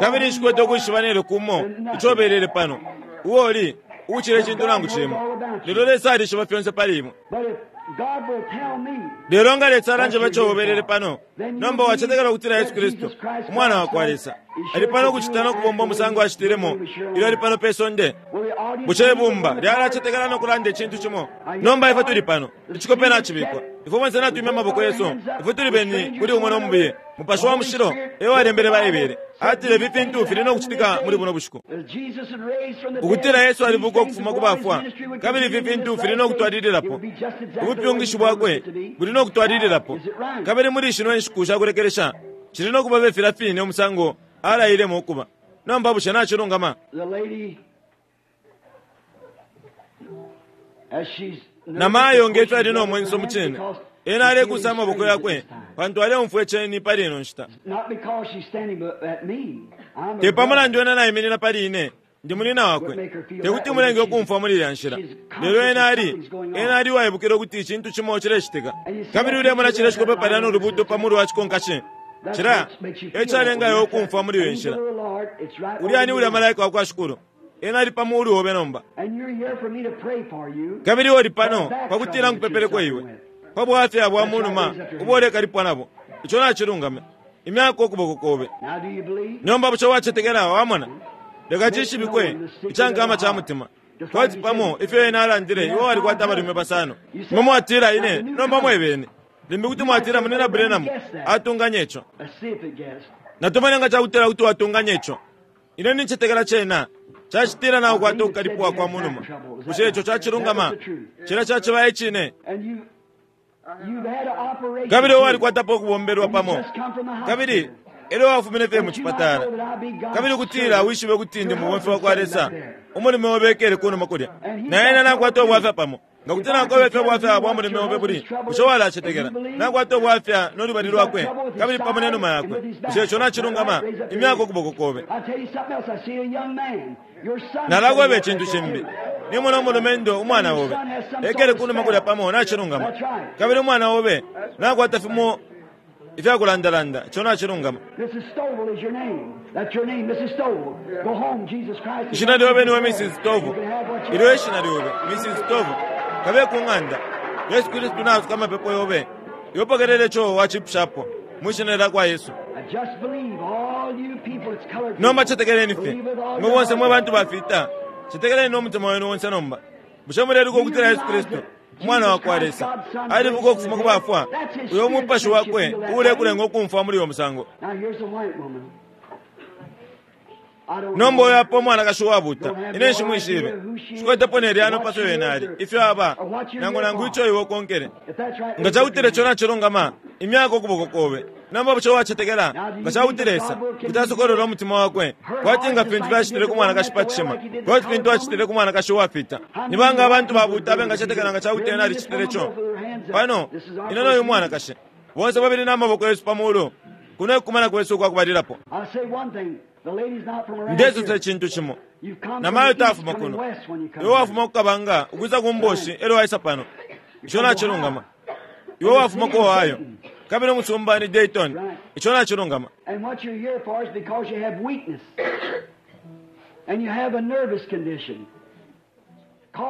Kabili nshikwete ukwishiba nelyo kumo ico ubelele pano, uo uli, ukucila icintu nangu cimo. Lelo Lesa alishiba fyonse pali imwe. Lelo nga Lesa alanjeba ico ubelele pano, nomba wacetekela ukutila Yesu Kristu, Umwana wa kwa Lesa, ali pano ukucita no kubomba umusango acitilemo ilyo ali pano pe sonde? Bushe ibumba lyalacetekela no kulanda icintu cimo? Nomba ifwe tuli pano, icikope nacibikwa. Ifwe bonse natwimya amaboko yesu, ifwe tuli beni kuli umo no mubiye. Mupashi wa Mushilo e walembele Baibele. Atile ifi fintu fili no kucitika muli buno bushiku. Ukutila Yesu alibuka ukufuma ku bafwa, kabili ifi fintu fili no kutwalililapo. Ubupyungishi bwakwe buli no kutwalililapo. Kabili muli shino inshiku sha kulekelesha, cili no kuba fye filya fine umusango alailemo ukuba. Nomba bushe nacilungama? Namayo nge fyo ali no mwenso mucine, ena alekusa amaboko yakwe pantu aleumfwa iceni pali ino nshita. Te pa mulandu ena naiminina pali ine, ndi munina wakwe, te kuti mulenge ukumfwa muli ilya nshila. Lelo ena ali, ena ali uwaibukila ukuti icintu cimo cilecitika. Kabili ulemona cilya cikope palya no lubuuto pa mulu wa cikonkashi? Cilya e calenga iwe ukumfwa muli iyo nshila. Ulya ni ulya malaika wa kwa Shikulu. Ena ali pa muulu obe nomba. Kabili uli pano pa kutila nkupepeleko iwe pa bwafya bwa mu numa ubo ulekalipwa nabo. Ico nacilungama. Imyako ukuboko kobe. Nomba bushe wacetekela? Wamona? Leka cishibikwe ica nkama ca mutima. Kwati pamo ifyo ena alandile, iwe walikwata abalume basano. Imwe mwatila ine, nomba mwebene. Limbi kuti mwatila Munyina Branham atunganya ico. Natumone nga cakutila kuti watunganya ico. Ine nincetekela cena cacitila naukwata ukukalipwa kwa munuma. Bushe ico cacilungama? Cena caciba icine. Kabili iwe walikwatapo ukubombelwa pamo, kabili elyo wafumine fye mu cipatala, kabili ukutila wishibe ukuti ndi mubomfi wakwa Lesa, umulume obe ekele kunuma kulya, na ena nakwata ubwafya pamo. Nga kuti nakweba ifyo ubwafya bwa mulume obe buli, bushe walacetekela? Nakwata ubwafya no lubali lwakwe, kabili pamo ne numa yakwe. Bushe ico nacilungama? Imyako ukuboko kobe. Nalakweba icintu cimbi. Nimona umulumendo, umwana obe, ekele kunuma kulya pamo. Nacilungama. Kabili umwana obe nakwata fimo ifya kulandalanda. Ico nacilungama. Ishina lyobe niwe Mrs. Stovall. Ilyo e shina lyobe, Mrs. Stovall. Kabe ku ng'anda. Yesu Kristu naasuka amapepo yobe. Iwe pokelela ico wacipushapo, mwi Shina lyakwa Yesu. Nomba cetekeleni fye, imwe bonse mwe bantu bafita, cetekeleni no mutima wenu onse nomba. Bushe muleluka ukutila Yesu Kristu, Umwana wa kwa Lesa, alibuka ukufuma ku bafwa? Uyo Mupashi Wakwe uulekulenga ukumfwa muli uyo musango. Nomba uyo apa umwanakashi uwabuta. Ine nshimwishibe. Nshikwetepo ne lyano pa fyo ena ali, ifyo aba, nangu nangu ico iwe ukonkele. Nga cakutila ico nacilungama, imyako ukuboko kobe. Nomba bushe wacetekela nga cakuti Lesa kuti asokolola umutima wakwe kwati nga fintu fyacitile ku mwanakashi pa cishima, kwati fintu acitile ku mwanakashi uwafita? Ni banga abantu babuta abengacetekela nga cakuti ena alicitile co? Pano, ine no yu mwanakashi, bonse babili na maboko yesu pa mulu, kuno ekumana kwesu ukwa kubalilapo. Ndesosa icintu cimo. Namayo tafuma kuno. Iwe wafuma ku kabanga ukwisa ku mboshi elyo waisa pano. Ico nacilungama. Iwe wafuma ku Ohio. Kabili umusumba ni Dayton. Ico nacilungama. And what you're here for is because you have weakness. And you have a nervous condition.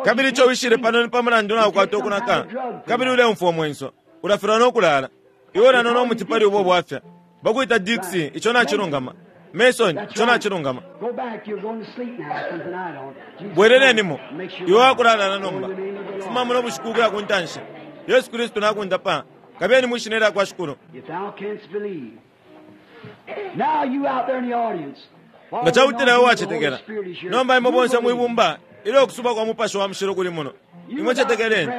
Kabili ico wishile pano ni pa mulandu naukwata ukunaka. Kabili uleumfwa umwenso. Ulafilwa no kulala. Iwe ulanona umuti pali ubo bwafya. Bakwita Dixie. Ico nacilungama. Mason, ico nacilungama. Go back, you're going to sleep now from tonight on. Jesus Bwelelenimo. Make sure Iwe wakulala na nomba. In the name of the Lord. Fuma muno bushiku ukuya ku ntanshi. Yesu Kristu nakundapa. Kabeni mwishina lya kwa Shikulu. If thou canst believe. Now you out there in the audience. Nga cakutila iwe wacetekela. Nomba imwe bonse mwibumba ilyo ukusuba kwa mupashi wa mushilo kuli muno. Imwe cetekeleni.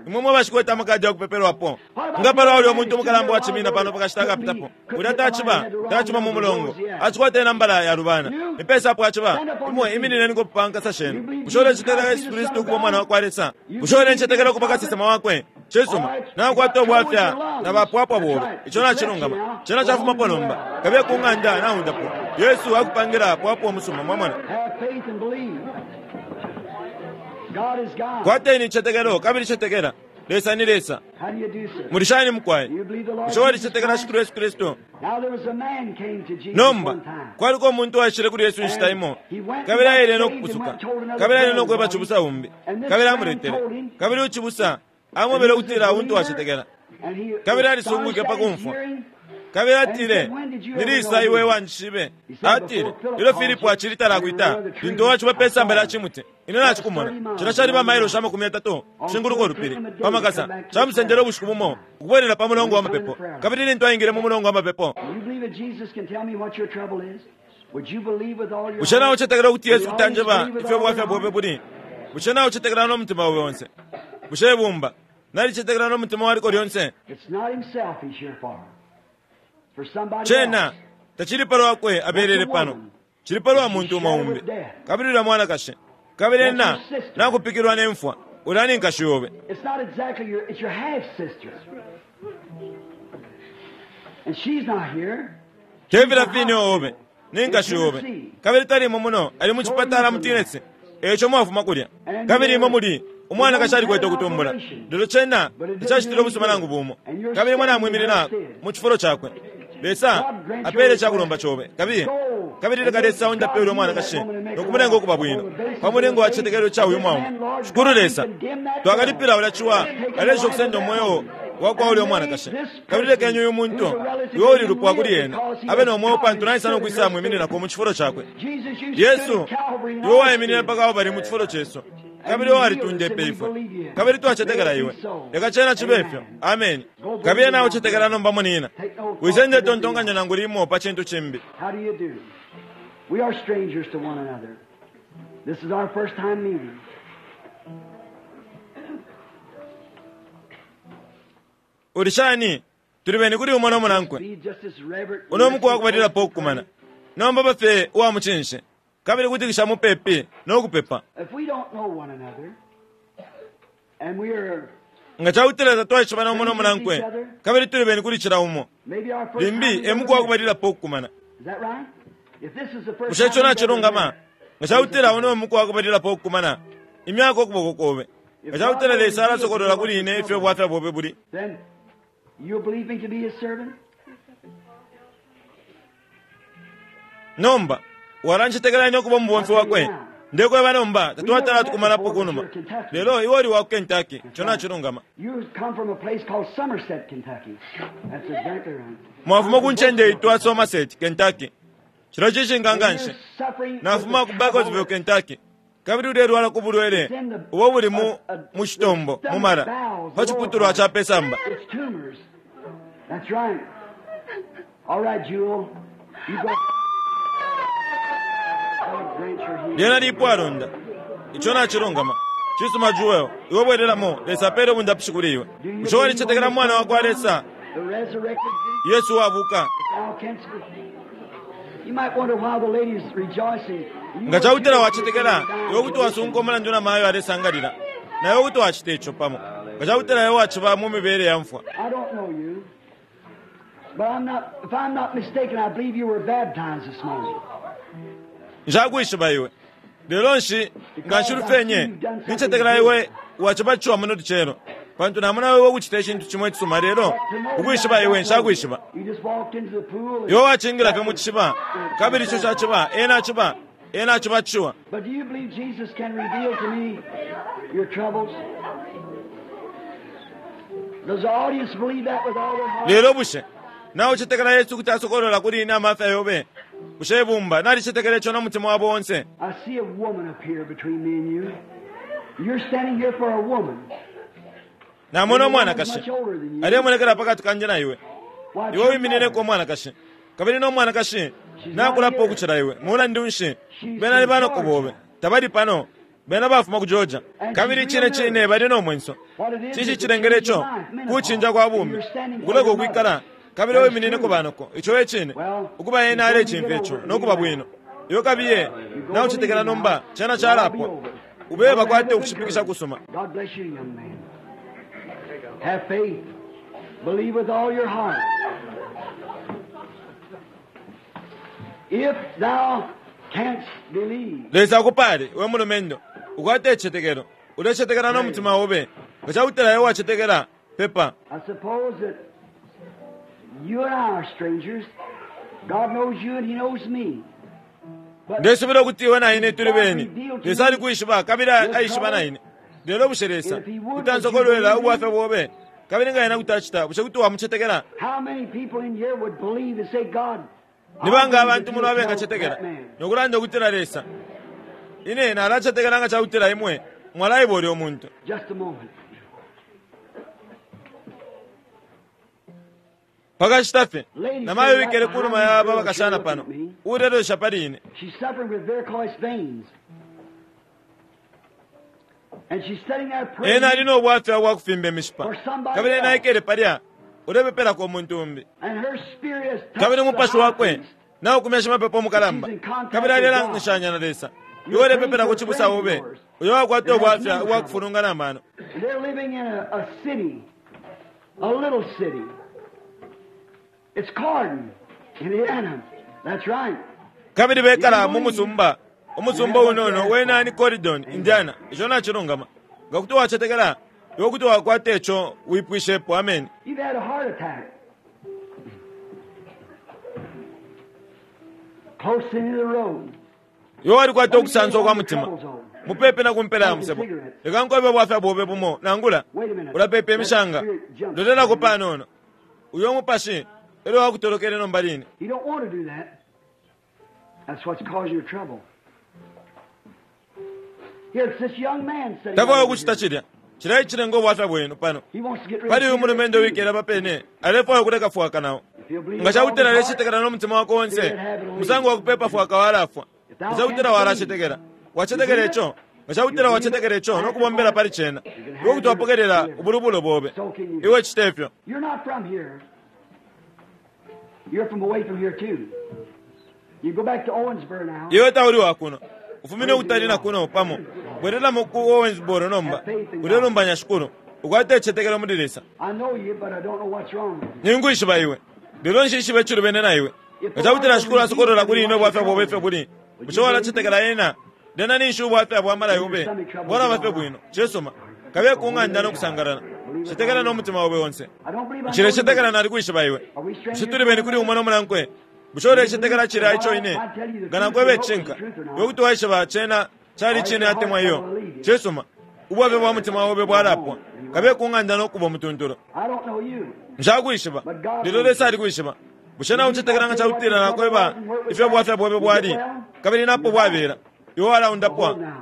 Imwe mwe bashikwete amakadi yakupepelwapo. Nga palwa ulya umuntu umukalamba wacimina pano pakashita akapitapo. Ulya taciba, taciba mu mulongo. Acikwata inambala yalubana. Nipesa apo aciba. Imwe iminineni pa nkasa shenu. Bushe ulecetekela Yesu Kristu ukuba umwana wa kwa Lesa? Bushe ulencetekela ukuba kasesema wakwe? Cisuma. Nakwata ubwafya na bapwapwa bobe. Ico nacilungama. Cena cafumapo nomba. Kabiye ku ng'anda naundapo. Yesu akupangila pwapwa umusuma mwamona. Have faith and believe. God is God. Kwateni icetekelo kabili cetekela. Lesa ni Lesa. How do you do, sir? Muli shani mukwai? You believe the Lord Bushe Jesus walicetekela Christ? Shikulu Yesu Kristu? Now there was a man came to Jesus Nomba one time. kwaliko umuntu waishile kuli Yesu inshita imo kabili aile no kupusuka kabili aile no kweba cibusa umbi kabili amuletele kabili ucibusa amwebele ukutila untu wacetekela And he kabili alisungwike pa kumfwa kabili atile nilisa iwe wanjishibe atile ilyo Filipo acili talakwita lintu waciba pe samba lya cimuti ine nacikumona cila cali bamailoshi 30 kushinguluka ulupili pamakasa camusendele ubushiku bumo ukubwelela pa mulongo wa mapepo kabili lintu aingile mu mulongo wa mapepo You believe that Jesus can tell me what your trouble is? Would you believe with all your bushe nawe heart? ucetekela ukuti Yesu kuti anjeba ifyo bwafya bwobe buli bushe nawe ucetekela n'omutima wawe onse bushe ibumba nalicetekela n'omutima waliko lyonse It's not himself he's here for. For somebody cena else. tacili palwakwe abelele pano cili palwa muntu umo umbi kabili ulya mwanakashi kabili ena nakupikilwa nemfwa ulya ni nkashi yobe It's not exactly your, it's your half sister. And she's not here. tevila fini obe ni nkashi yobe kabili talimo muno ali mu cipatala mu Tennessee eco mwafuma kulya kabili imwe muli umwanakashi alikwete ukutumbula lelo cena tacacitile ubusuma nangu bumo kabili imwe namwiminina mu cifulo cakwe Lesa apele cakulomba cobe kabili kabili leka Lesa undape ulya mwanakashi nokumulenga ukuba bwino pa mulingo wa cicetekelo ca uyu mwaume Shikulu Lesa twakalipila ulya ciwa alesha ukusenda umweo wakwa ulya mwanakashi kabili lekeni uyu muntu iwe uli lupwa kuli ena abe no mweo pantu naisa nokwisa mwimininako mu cifulo cakwe Jesus, you Yesu stood at Calvary and iwe waiminina all mpaka apo bali mu cifulo cesu kabili iwe walitundepe ifwe kabili twacetekela iwe leka cena cibe ifyo ameni kabili nawe ucetekela nomba munina wisende tontonkanya nangu limo pa cintu cimbi How do you do? We are strangers to one another. This is our first time meeting. uli shani tuli beni kuli umo nomunankwe Be just as reverent. uno muku wakubalilapo okukumana nomba bafe uwa mucinshi kabili kutikisha mupepi nokupepa If we don't know one another, and we are nga cakutila tatwaishibana umo nomunankwe kabili tuli beni kuli cila umo maybe our first time limbi we've e ever muku met. wakubalilapo okukumana Is that right? If this is the first bushe ico time we've ever nacilungama met, nga cakutila uno muku wakubalilapo okukumana imyaka ukuboko kobe nga cakutila Lesa alasokolola kuli ine ifyo bwafya bwobe buli then you'll believe me to be his servant? nomba walancetekela ine ukuba umubomfi wakwe ndekweba nomba tatwatala tukumanapo kunuma lelo iwe uli wa ku Kentucky ico nacilungama You come from a place called Somerset, Kentucky. That's exactly right. mwafuma ku ncende itwa Somerset, Kentucky cilo cishinka nganshi You're suffering nafuma with ku the Bartlesville, trouble Kentucky kabili ulelwala ku bulwele ubo buli mu mu citombo mu mala pa ciputulwa ca pesamba It's tumors. That's right. All right, Jewel. You go. your healing. Lyena lipwalonda. Ico nacilungama. Cisuma Jewel, iwe bwelelamo, Lesa apele ubundapishi kuli iwe. Bushe walicetekela mu Mwana wa kwa Lesa, The resurrected Jesus, Yesu wabuka? thou canst You might wonder why the lady is rejoicing. You Nga cakutila were wacetekela, iwe kuti wasunka umulandu na mayo alesangalila. Na iwe kuti wacita ico pamo. Nga cakutila iwe waciba mu mibele ya mfwa. I don't know you, but I'm not. If I'm not mistaken, I believe you were baptized this morning. Nshakwishiba iwe. Lelo nshi nga nshilufenye, nincetekela iwe wacibatishiwa muno lucelo. Pantu namona iwe ukucita icintu cimo icisuma lelo, ukwishiba iwe nshakwishiba. You just walked into the pool. and- Iwe wacingila fye mu cishiba, kabili ico caciba, ena aciba, ena acibatishiwa. But do you believe Jesus can reveal to me your troubles? Does the audience believe that with all their heart? Lelo bushe, nawe ucetekela Yesu kuti asokolola kuli ine amafya yobe. Bushe ibumba, nalicetekela ico no mutima wabo onse. I see a woman up here between me and you. You're standing here for a woman. Namona The woman's umwanakashi. much older than you. Alemonekela pakati kanje na iwe. Why, it's Iwe your wiminineko mother. umwanakashi. Kabili no mwanakashi, nakulapo ukucila iwe. Mulandu nshi, bena ni banoko bobe. Tabali pano, bena bafuma ku Georgia. Kabili cine cine bali no mwenso. What it is Cinshi is to cilengele change your ico? life, menopause. Kucinja kwa And bumi. you're standing for Ukuleka your ukwikala. mother. Kabili That's wiminineko true. banoko. Ico e cine. Well, Ukuba ena you're going to alecimfya get ico, over it. no kuba bwino. Iwe kabiye, naucetekela nomba, cena calapwa. Ube bakwate ukushipikisha kusuma. God bless you, young man. Have faith. Believe with all your heart. If thou canst believe, Lesa akupale, we mulumendo. Ukwate icicetekelo. Ulecetekela no mutima obe. Nga cakutila iwe wacetekela, pepa. I suppose that you and I are strangers. God knows you and He knows me. But Ndesubila ukuti iwe na ine tuli beni. Lesa alikwishiba kabili aishiba na ine. Lelo bushe Lesa kuti ansokolwela ubwafya bobe. Kabili nga ena kuti acita, bushe kuti wamucetekela? how many people in here would believe and say, God, Ni I banga believe abantu that muno you'll tell abengacetekela that man. nokulanda ukutila Lesa. Ine nalacetekela nga cakutila imwe mwalaiba ulya umuntu. Just a moment. Pakashita fye, namayo wikele ku numa ya aba bakashana pano. Ulelosha pali ine. She's suffering with varicose veins. And she's sitting there praying. Ena ali no bwafya bwa kufimba imishipa. Kabili ena aikele palya, ulepepelako umuntu umbi. And her spirit has touched Kabili the umupashi high wakwe priest. naukumya shimapepo mukalamba. Kabili alelangishanya na Lesa. Iwe ulepepela ku cibusa obe, uyo wakwata ubwafya ubwa kufulungana amano. And they're living in a city, a little city. It's Cardin, Indiana. That's right. Kabili bekala mu musumba, umusumba unono wena ni Corydon, Indiana. Ico nacilungama. Nga kuti wacetekela, iwe kuti wakwata ico wipwishepo. Amen. You've had a heart attack. Close into the road. Iwe walikwata ukusansa kwa mutima. Mupepe na kumpela ya musebo. Leka nkobe bwafya bobe bumo nangula. Ulapepa imishanga. Lolelako panono. Uyo mupashi elyo wakutolokele nomba line. You don't want to do that. That's what's causing your trouble. Here, it's this young man sitting Takwaya right over ukucita here. cilya. Cilya icilenga ubwafya bwenu pano. He wants to get rid Pali of uyu mulumendo cigarettes, wikele apapene alefwaya ukuleka fwaka nawo. too. If he'll believe Nga with all cakutila his heart, alecetekela no mutima wako onse, musango wa kupepa fwaka walafwa. Nga cakutila walacetekela, wacetekela ico. Nga cakutila wacetekela ico no kubombela pali cena, iwe kuti wapokelela ubulubulo bobe. Iwe cita ifyo. You're not from here. You're from away from here too. You go back to Owensboro now. Iwe tauli wa kuno. Ufumine ukutali na kuno pamo. Bwerelamo ku Owensboro nomba. Ulelumbanya shikulu. Ukwate icicetekelo muli Lesa. I know you, but I don't know what's wrong with you. Ningwishiba iwe. Lelo nshishibe icilubene na iwe. Nga cakutila shikulu asokolola kuli ine ubwafya bobe ifyo buli. Bushe walacetekela ena? Lena ninshi ubwafya bwa mala yobe. Bwalaba fye bwino. Cisuma. Kabiye ku ng'anda no kusangalala. Cetekela no mutima obe onse. I don't believe I know Nshilecetekela you. nalikwishiba iwe. Are we strangers? Bushe tuli beni kuli umo no mulankwe? Bushe ulecetekela cilya ico ine? Nga nakweba icinka. Iwe kuti waishiba cena cali cine atemwa iyo. Cisuma. Ubwafya bwa mutima obe bwalapwa. Kabiye ku ng'anda no kuba umutuntulu. I don't know you. Nshakwishiba. Lelo Lesa alikwishiba. Bushe nawe ucetekela nga cakutila nakweba ifyo bwafya bwebe bwali kabili napo bwabela. Iwe walaundapwa. Hold now.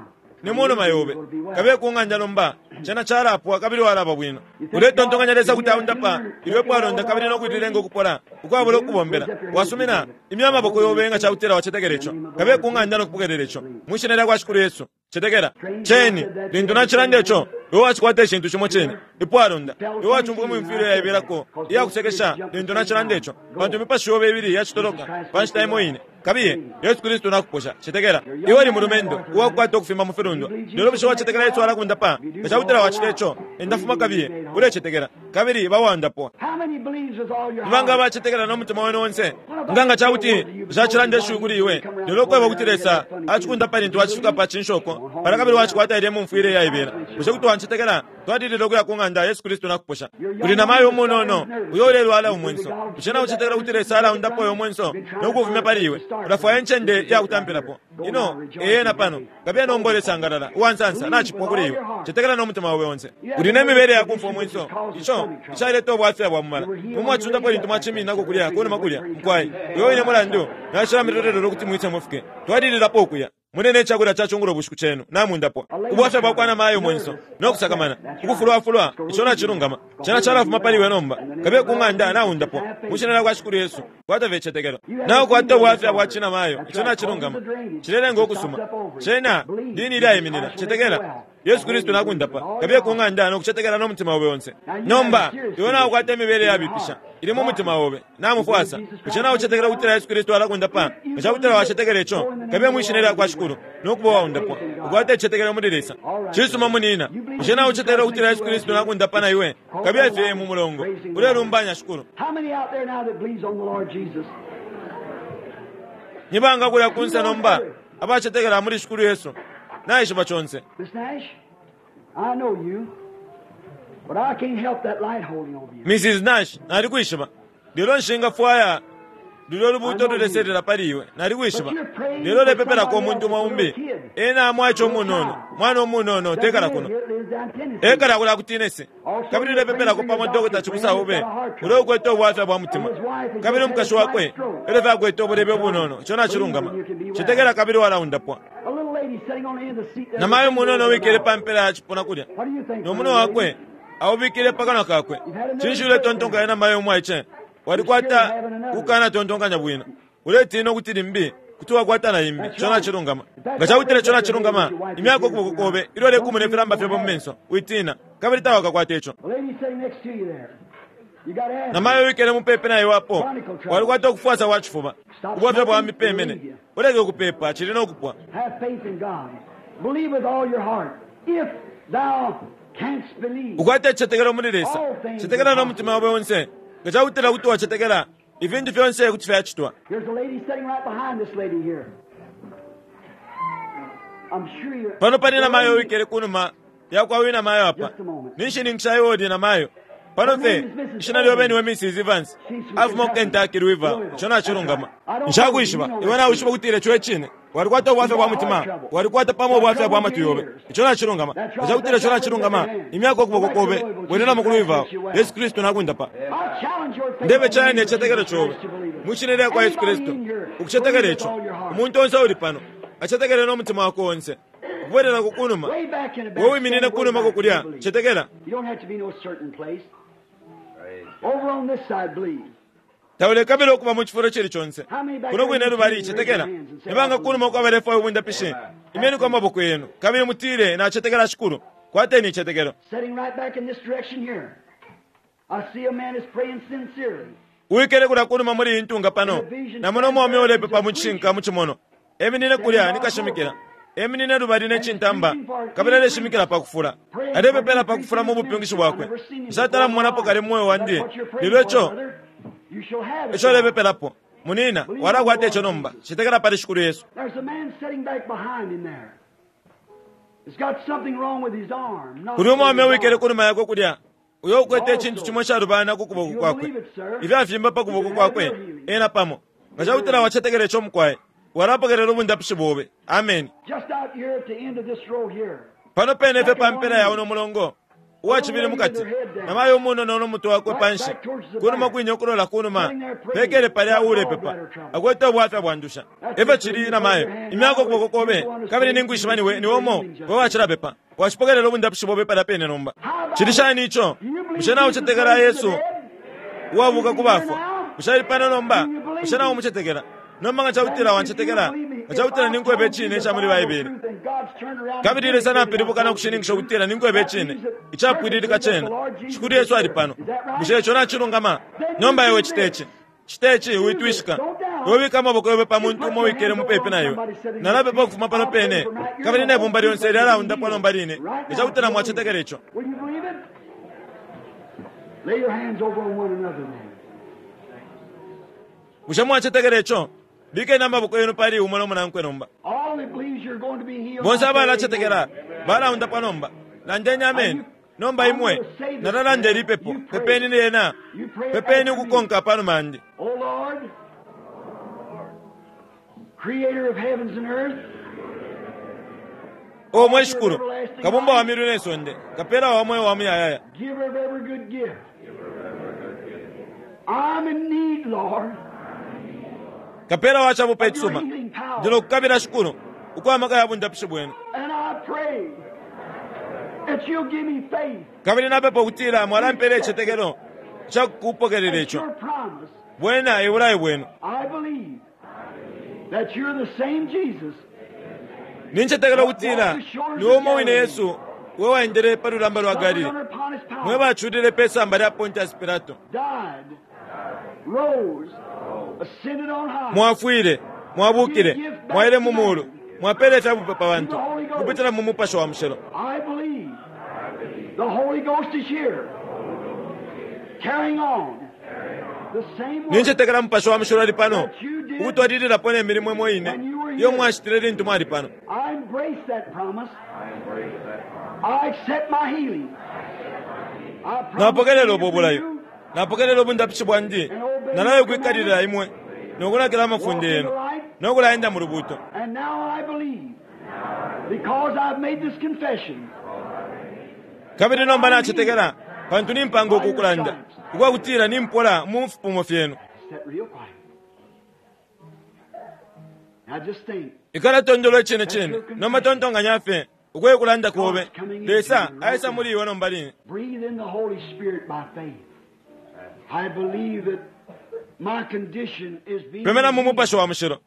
Ni munuma yobe. Kabiye ku ng'anda nomba, cena calapwa kabili walaba bwino. Uletontonkanya Lesa kuti aundapa ilyo epwalonda kabili no kulilenga ukupola ukwabula ukubombela? Wasumina? Imya amaboko yobe nga cakutila wacetekela ico. Kabiye ku ng'anda no kupokelela ico. Mwi Shina lyakwa Shikulu Yesu. Cetekela. Ceni, lintu nacilanda ico, iwe wacikwata icintu cimo cine, ipwalonda. Iwe wacumfwa imyumfwile yaibelako iya kusekesha lintu nacilanda ico, pantu imipashi yobe ibili yacitoloka pa nshita imo ine. Kabiye, Yesu Kristu nakuposha. Cetekela. Iwe uli mulumendo uwakukwata ukufimba mu filundwa. Lelo bushe wacetekela Yesu alakundapa? Nga cakutila wacita ico, enda fuma kabiye, ulecetekela, kabili ba uwaundapwa. Ni banga abacetekela no mutima wenu onse? Nga nga ca kuti nshacilanda ishiwi kuli iwe, lelo ukweba ukuti Lesa acikundapa lintu wacifika pa cinshoko palya kabili wacikwata ilya imumfwile iyaibela, bushe kuti wancetekela? Twalilila ukuya ku ng'anda, Yesu Kristu nakuposha. Kuli namayo umunono uyo ulelwala umwenso. Bushe naucetekela ukuti Lesa alaundapa uyo mwenso no kuufumya pali iwe? Ulafwaya incende iya kutampilapo. Ino e yena pano. Kabiye nomba ulesangalala, uwa nsansa, nacipwa kuli iwe. Cetekela no mutima obe onse. Uli ne mibele ya kumfwa umwenso, ico icaleta ubwafya bwa mumala. Imwe mwacundapo lintu mwacimininako kulya kunuma kulya, mukwai. Uyo wine mulandu nacilamilolelela ukuti mwise mufike. Twalililapo ukuya. Mune ne cakulya ca cungulo bushiku cenu, namundapwa. Ubwafya bwa kwa namayo mwenso, no kusakamana, ukufulwafulwa, ico nacilungama. Cena calafuma pali iwe nomba. Kabiye ku ng'anda, naundapwa. Mwi Shina lyakwa Shikulu Yesu, kwata fye icitetekelo. Naukwata ubwafya bwa cinamayo, ico nacilungama. Cilelenga ukusuma. Cena lini ilyaiminina. Cetekela. Yesu Kristu nakundapa. Kabiye ku ng'anda no kucetekela no mutima obe onse. Nomba, iwe naukwata imibele yabipisha. Ili mu mutima obe. Namufwasa. Bushe naucetekela ukutila Yesu Kristu alakundapa? Nga cakutila wacetekela ico, kabiye mwi Shina lyakwa Shikulu no kuba uwaundapwa. Ukwate icitetekelo muli Lesa. Cisuma, munina. Bushe naucetekela ukutila Yesu Kristu nakundapa na iwe? Kabiye fye mu mulongo, ulelumbanya Shikulu. Ni banga kulya kunse nomba abacetekela muli Shikulu Yesu? Naishiba conse. Miss Nash, I know you, but I can't help that light holding over you. Mrs. Nash, nalikwishiba. Lelo nshingafwaya lulyo lubuuto luleselela pali iwe. Nalikwishiba. Lelo ulepepelako umuntu umo umbi. Ena mwaice umunono, mwana umunono, tekala kuno. Ekala kulya ku Tennessee. Kabili ulepepelako pamo dokota cibusa obe ulya ukwete ubwafya bwa mutima. Kabili umukashi wakwe elyo fye akwete ubulebe ubunono. Ico nacilungama. Cetekela kabili walaundapwa. Namayo umunono uwikele pa mpela ya cipuna kulya, no munwe wakwe aubikile pa kanwa kakwe. Cinshi uletontonkanya, namayo umwaice? Walikwata ukukanatontonkanya bwino. Uletina ukuti limbi kuti wakwata na imbi. Ico nacilungama. Nga cakutila ico nacilungama, imyako ukuboko kobe ilyo ulekumuna ifilamba fyobe mu menso. Witina, kabili tawakakwate ico. Namayo uwikele mupepi na iwe apo, walikwata ukufwasa kwa cifuba, ubwafya bwa mipemene. Uleke ukupepa, cili no kupwa. Ukwate icitetekelo muli Lesa. Cetekela no mutima obe onse. Nga cakutila kuti wacetekela, ifintu fyonse kuti fyacitwa. Pano pali namayo uwikele kunuma yakwa uyu namayo apa. Ninshininkisha iwe uli namayo. Pano fye, ishina lyobe niwe Mrs. Evans. Afuma ku Kentucky, Louisville. Ico nacilungama. Nshakwishiba. Iwe nawishiba ukutila ico e cine. Walikwata ubwafya bwa mutima. Walikwata pamo ubwafya bwa matwi yobe. Ico nacilungama. Nga cakutila ico nacilungama, imyako ukuboko kobe, bwelelamo ku Louisville. Yesu Kristu nakundapa. Ndebe cayana icicetekelo cobe. Mwi Shina lyakwa Yesu Kristu, ukucetekela ico. Umuntu onse uuli pano, acetekele no mutima wakwe onse. Ukubwelelako kunuma, we wiminine kunumako kulya, cetekela. Taulekabila ukuba mu cifulo icili conse. Kuno kwine lubali, cetekela. Ni banga kunuma uko abalefwaya ubundapishi? Imyeniko amaboko yenu, kabili mutile, Nacetekela Shikulu. Kwateni icitetekelo. Uwikele kulya kunuma muli iyi ntunga pano, namona umwaume ulepepa mu cishinka mu cimonwa. Eminine kulya ni kashimikila. Eminine lubali ne cintamba, kabili aleshimikila pa kufula. Alepepela pa kufula mu bupyungishi bwakwe. Nshatala mumonapo kale mu mweo wandi, lelo ico eco ulepepelapo. Munina, walakwata ico nomba. Cetekela pali Shikulu Yesu. Kuli umwaume uwikele kunuma yakwe kulya, uyo ukwete icintu cimo icalubana ku kuboko kwakwe, ifyafimba pa kuboko kwakwe, ena pamo. Nga cakutila wacetekela ico, mukwai, walapokelela ubundapishi bobe. Ameni. Pano pene fye pa mpela ya uno mulongo, Uwacibili mukati, namayo umunono no mutwe wakwe panshi, kunuma kwine ukulola kunuma, pekele palya uulepepa, akwete ubwafya bwa ndusha. Efyo cili, namayo, imyako ukuboko kobe, kabili ninkwishiba niwe niwe umo we wacilapepa. Wacipokelela ubundapishi bobe palya pene nomba. Cili shani ico? Bushe naucetekela Yesu uwabuka ku bafwa? Bushe ali pano nomba? Bushe naumucetekela? Nomba nga cakutila wancetekela, nga cakutila ninkweba icine ica muli Baibele, kabili Lesa napilibuka no kushininkisha ukutila ninkweba icine icapwililika cena, Shikulu Yesu ali pano. Bushe ico nacilungama? Nomba iwe cite ci. Cite ci, witwishika. Iwe bika amaboko yobe pa muntu umo wikele mupepi na iwe. Nalapepa ukufuma pano pene, kabili ne bumba lyonse lyalaundapwa nomba line, nga cakutila mwacetekela ico. Will you believe it? Lay your hands over on one another then. Bushe mwacetekela ico? Bikeni amaboko yenu pali umo no munankwe nomba. All that believes you're going to be healed. Bonse abalacetekela balaundapwa nomba. Landeni ameni. Nomba imwe, nalalanda ili pepo. Pepeni lyena. Pepeni ukukonka panuma yandi. O Lord, creator of heavens and earth, O mwe Shikulu, kabumba wa miulu ne sonde, kapela wa mweo wa muyayaya, giver of every good gift. I'm in need, Lord, kapela wa chabupe of your icisuma, healing power. ndilo kukabila Shikulu, ukwa maka ya bundapishi bwenu. And I pray that you'll give me faith Kabili napepa ukutila mwalampela icicetekelo ca kupokelela at ico. your promise. Bwena ebulayo bwenu. I believe that you're the same Jesus Nincetekela ukutila ni umo wine Yesu we waendele pa lulamba lwa suffered Galili, under Pontius mwe Pilate, baculile pe samba lya Pontius Pilato. died, rose, ascended on high. Mwafwile, mwabukile, mwaile mu mulu, mwapele ifyabupe pa bantu kupitila mu mupashi wa mushilo. I believe the Holy Ghost is here, carrying on the same work Nincetekela mupashi wa mushilo ali pano ukutwalililapo ne milimo imo ine iyo mwacitile lintu mwali pano. I embrace that promise. I accept my healing. I promise Napokelela to ubo give bulayo. you Napokelela ubundapishi bwandi. Nalayo kwikalilila imwe nokunakila amafunde yenu nokulaenda mu lubuto. And now I believe, because I've made this confession, Kabili nomba nacetekela pantu nimpanga uku kulanda ukwakutila nimpola mu fipumo fyenu. Sit real quiet. Now just think. Ikala tondolo icine cine nomba tontonkanya fye ukwe kulanda kobe. Lesa aisa muli iwe nomba line. Breathe in the Holy Spirit by faith. I believe that my condition is being. Pemena mu mupashi wa mushilo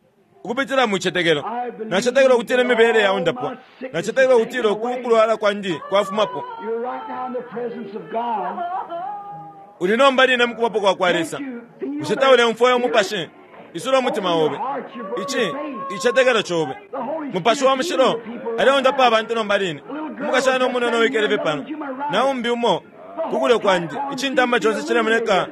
ukupitila mu icetekelo. Nacetekela ukutila imibele yaundapwa. Nacetekela ukutila uku kulwala kwandi kwafumapo. You're right now in the presence of God. Uli nomba line mu kubapo kwa kwa Lesa. Can't you feel Bushe that taulemfwaya spirit? umupashi? Isula umutima obe. Ici icetekelo cobe. The Holy Mupashi wa Spirit mushilo heals the people right aleundapa now. abantu nomba line. Umukashana umunono wikele fye pano. Naumbi umo kukulyo kwandi icintamba conse cilemoneka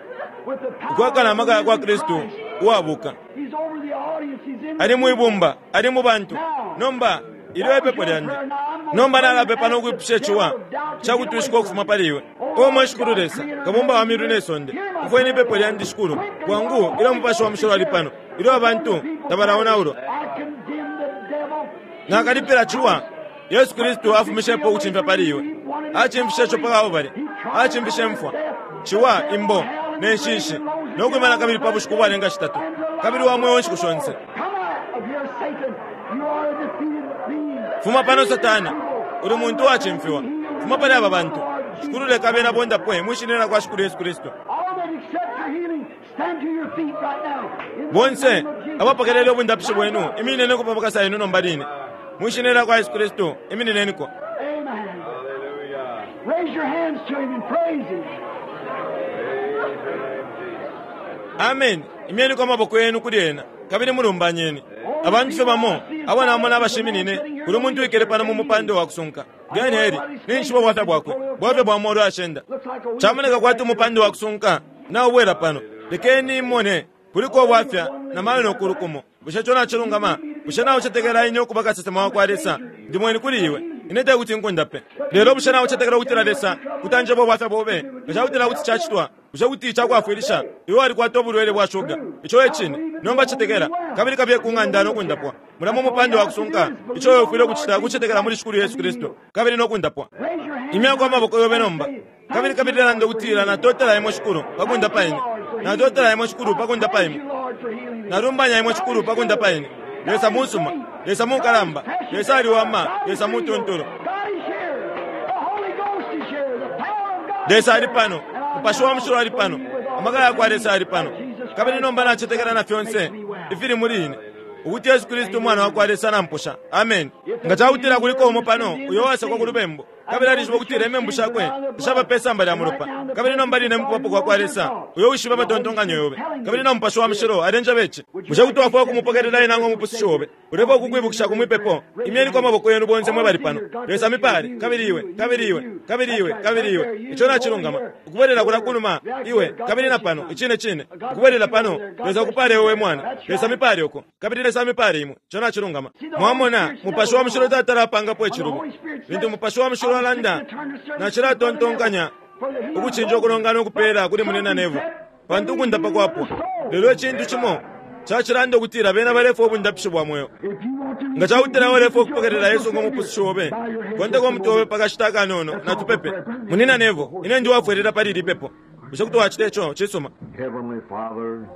ukwakana amaka ya kwa Kristu uwabuka. He's over the audience. He's in the Ali mwibumba, ali mu bantu. Nomba ilyo ipepo lyandi. Nomba nalapepa no kwipusha iciwa cakutwishika ukufuma pali iwe. O mwe Shikulu Lesa, kabumba wa miulu ne sonde, umfweni ipepo lyandi Shikulu. Bwangu ilyo mupashi wa mushilo ali pano, ilyo abantu tabalaonaulwa. I condemn the devil. Nakalipila ciwa Yesu Kristu afumishepo ukucimfya pali iwe. Acimfishe ico pa Kalbale. Acimfishe mfwa, ciwa, imbo ne nshishi, no kwimana kabili pa bushiku bwalenga shitatu, kabili wa mweo nshiku shonse. Come out of here, Satan. You are a defeated being. Fuma pano Satana, uli muntu wacimfiwa. Fuma pali aba bantu. Shikulu leka bena bondapwe mwi shina lya kwa Shikulu Yesu Kristu. All that accept your healing, stand to your feet right now. In the Bonse name of Jesus. abapokelele ubundapishi bwenu, iminineniko pa makasa yenu nomba line. Mwi shina lya kwa Yesu Kristu, iminineniko. Amen. Hallelujah. Raise your hands to him and praise him. Amen. Imyeniko amaboko yenu kuli ena, kabili mulumbanyeni. Abantu fye bamo, abo namona abashiminine, kuli umuntu wikele pano mu mupando wa kusunka. Gani heri, ninshiba bwafya bwakwe, bwafya bwa molu ashenda. Looks like a Chamoneka kwati umupando wa kusunka, naubwela pano. Lekeni imone, kuliko bwafya na mayo nokulukumo. Bushe ico nacilungama? Bushe naucetekela ine ukuba kasesema wa kwa Lesa? Ndi mweni kuli iwe. Ine tekuti nkundape. Lelo bushe naucetekela ukutila Lesa kutanjeba ubwafya bobe? Nga cakutila kuti cacitwa, bushe kuti cakwafwilisha? Iwe walikwata ubulwele bwa shuga. Ico e cine. Nomba cetekela, kabili kabiye ku ng'anda no kundapwa. Mulamo umupando wa kusunka. Ico iwe ufwile ukucita kucetekela muli Shikulu Yesu Kristu, kabili no kundapwa. Raise your hands. Imyako amaboko yobe nomba. Kabili kabili landa ukutila, Natotela Imwe, Shikulu, pa kundapa ine. Natotela Imwe, Shikulu, pa kundapa imwe. Nalumbanya Imwe, Shikulu, pa kundapa ine. Lesa musuma. Lesa mukalamba. Lesa aliwama. Lesa mutuntulu. Lesa ali pano. Mupashi wa Mushilo ali pano. Amaka yakwa Lesa ali pano. Kabili nomba nacetekela na fyonse ifili muli ine, ukuti Yesu Kristu Umwana wakwa Lesa namposha. Ameni. Nga cakutila kuliko umo pano uyo uwasekwa ku lubembu, kabili alishiba ukutila imembu shakwe tashaba pe samba lya mulopa, kabili nomba line mukubapo kwa kwa Lesa, uyo uwishiba amatontonkanyo yobe, kabili na Mupashi wa Mushilo alenjeba ici, bushe kuti wafwaya ukumupokelela Ena ngo Mupusushi obe? Ulefwaya ukukwibukisha ku mwipepo? Imyeniko amaboko yenu bonse mwe bali pano. Lesa amipale, kabili iwe, kabili iwe, kabili iwe, kabili iwe. Ico nacilungama. Ukubwelela kulya kunuma, iwe, kabili na pano, icine cine. Ukubwelela pano, Lesa akupale iwe, we mwana. Lesa amipale uko, kabili Lesa amipale imwe. Ico nacilungama. Mwamona, Mupashi wa Mushilo tatala apangapo icilubo. Lintu Mupashi wa Mushilo alanda, nacilatontonkanya ukucinja ukulongana ukupela kuli Munyina Neville, pantu ukundapa kwapwa. Lelo icintu cimo cacilanda ukutila bena balefwaya ubundapishi bwa mweo. Nga cakutila iwe ulefwaya ukupokelela Yesu ngo Mupusushi obe, konteka umutwe obe pa kashita akanono, natupepe. Munyina Neville, ine ndi uwafwelela pali ili pepo. Bushe kuti wacita ico? Cisuma. Heavenly Father,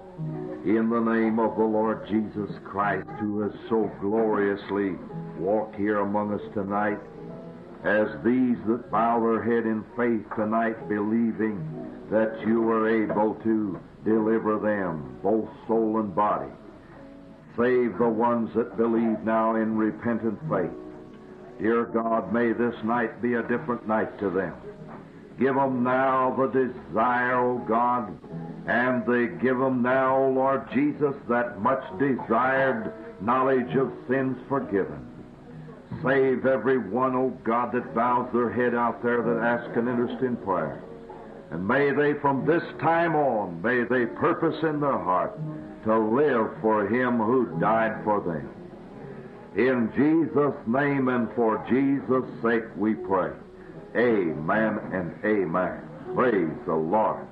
in the name of the Lord Jesus Christ, who has so gloriously walked here among us tonight, as these that bow their head in faith tonight, believing that you are able to deliver them, both soul and body. Save the ones that believe now in repentant faith. Dear God, may this night be a different night to them. Give them now the desire, O God, and they give them now, O Lord Jesus, that much desired knowledge of sins forgiven. Save every one, O God, that bows their head out there that asks an interest in prayer. And may they, from this time on, may they purpose in their heart to live for Him who died for them. In Jesus' name and for Jesus' sake we pray. Amen and amen. Praise the Lord.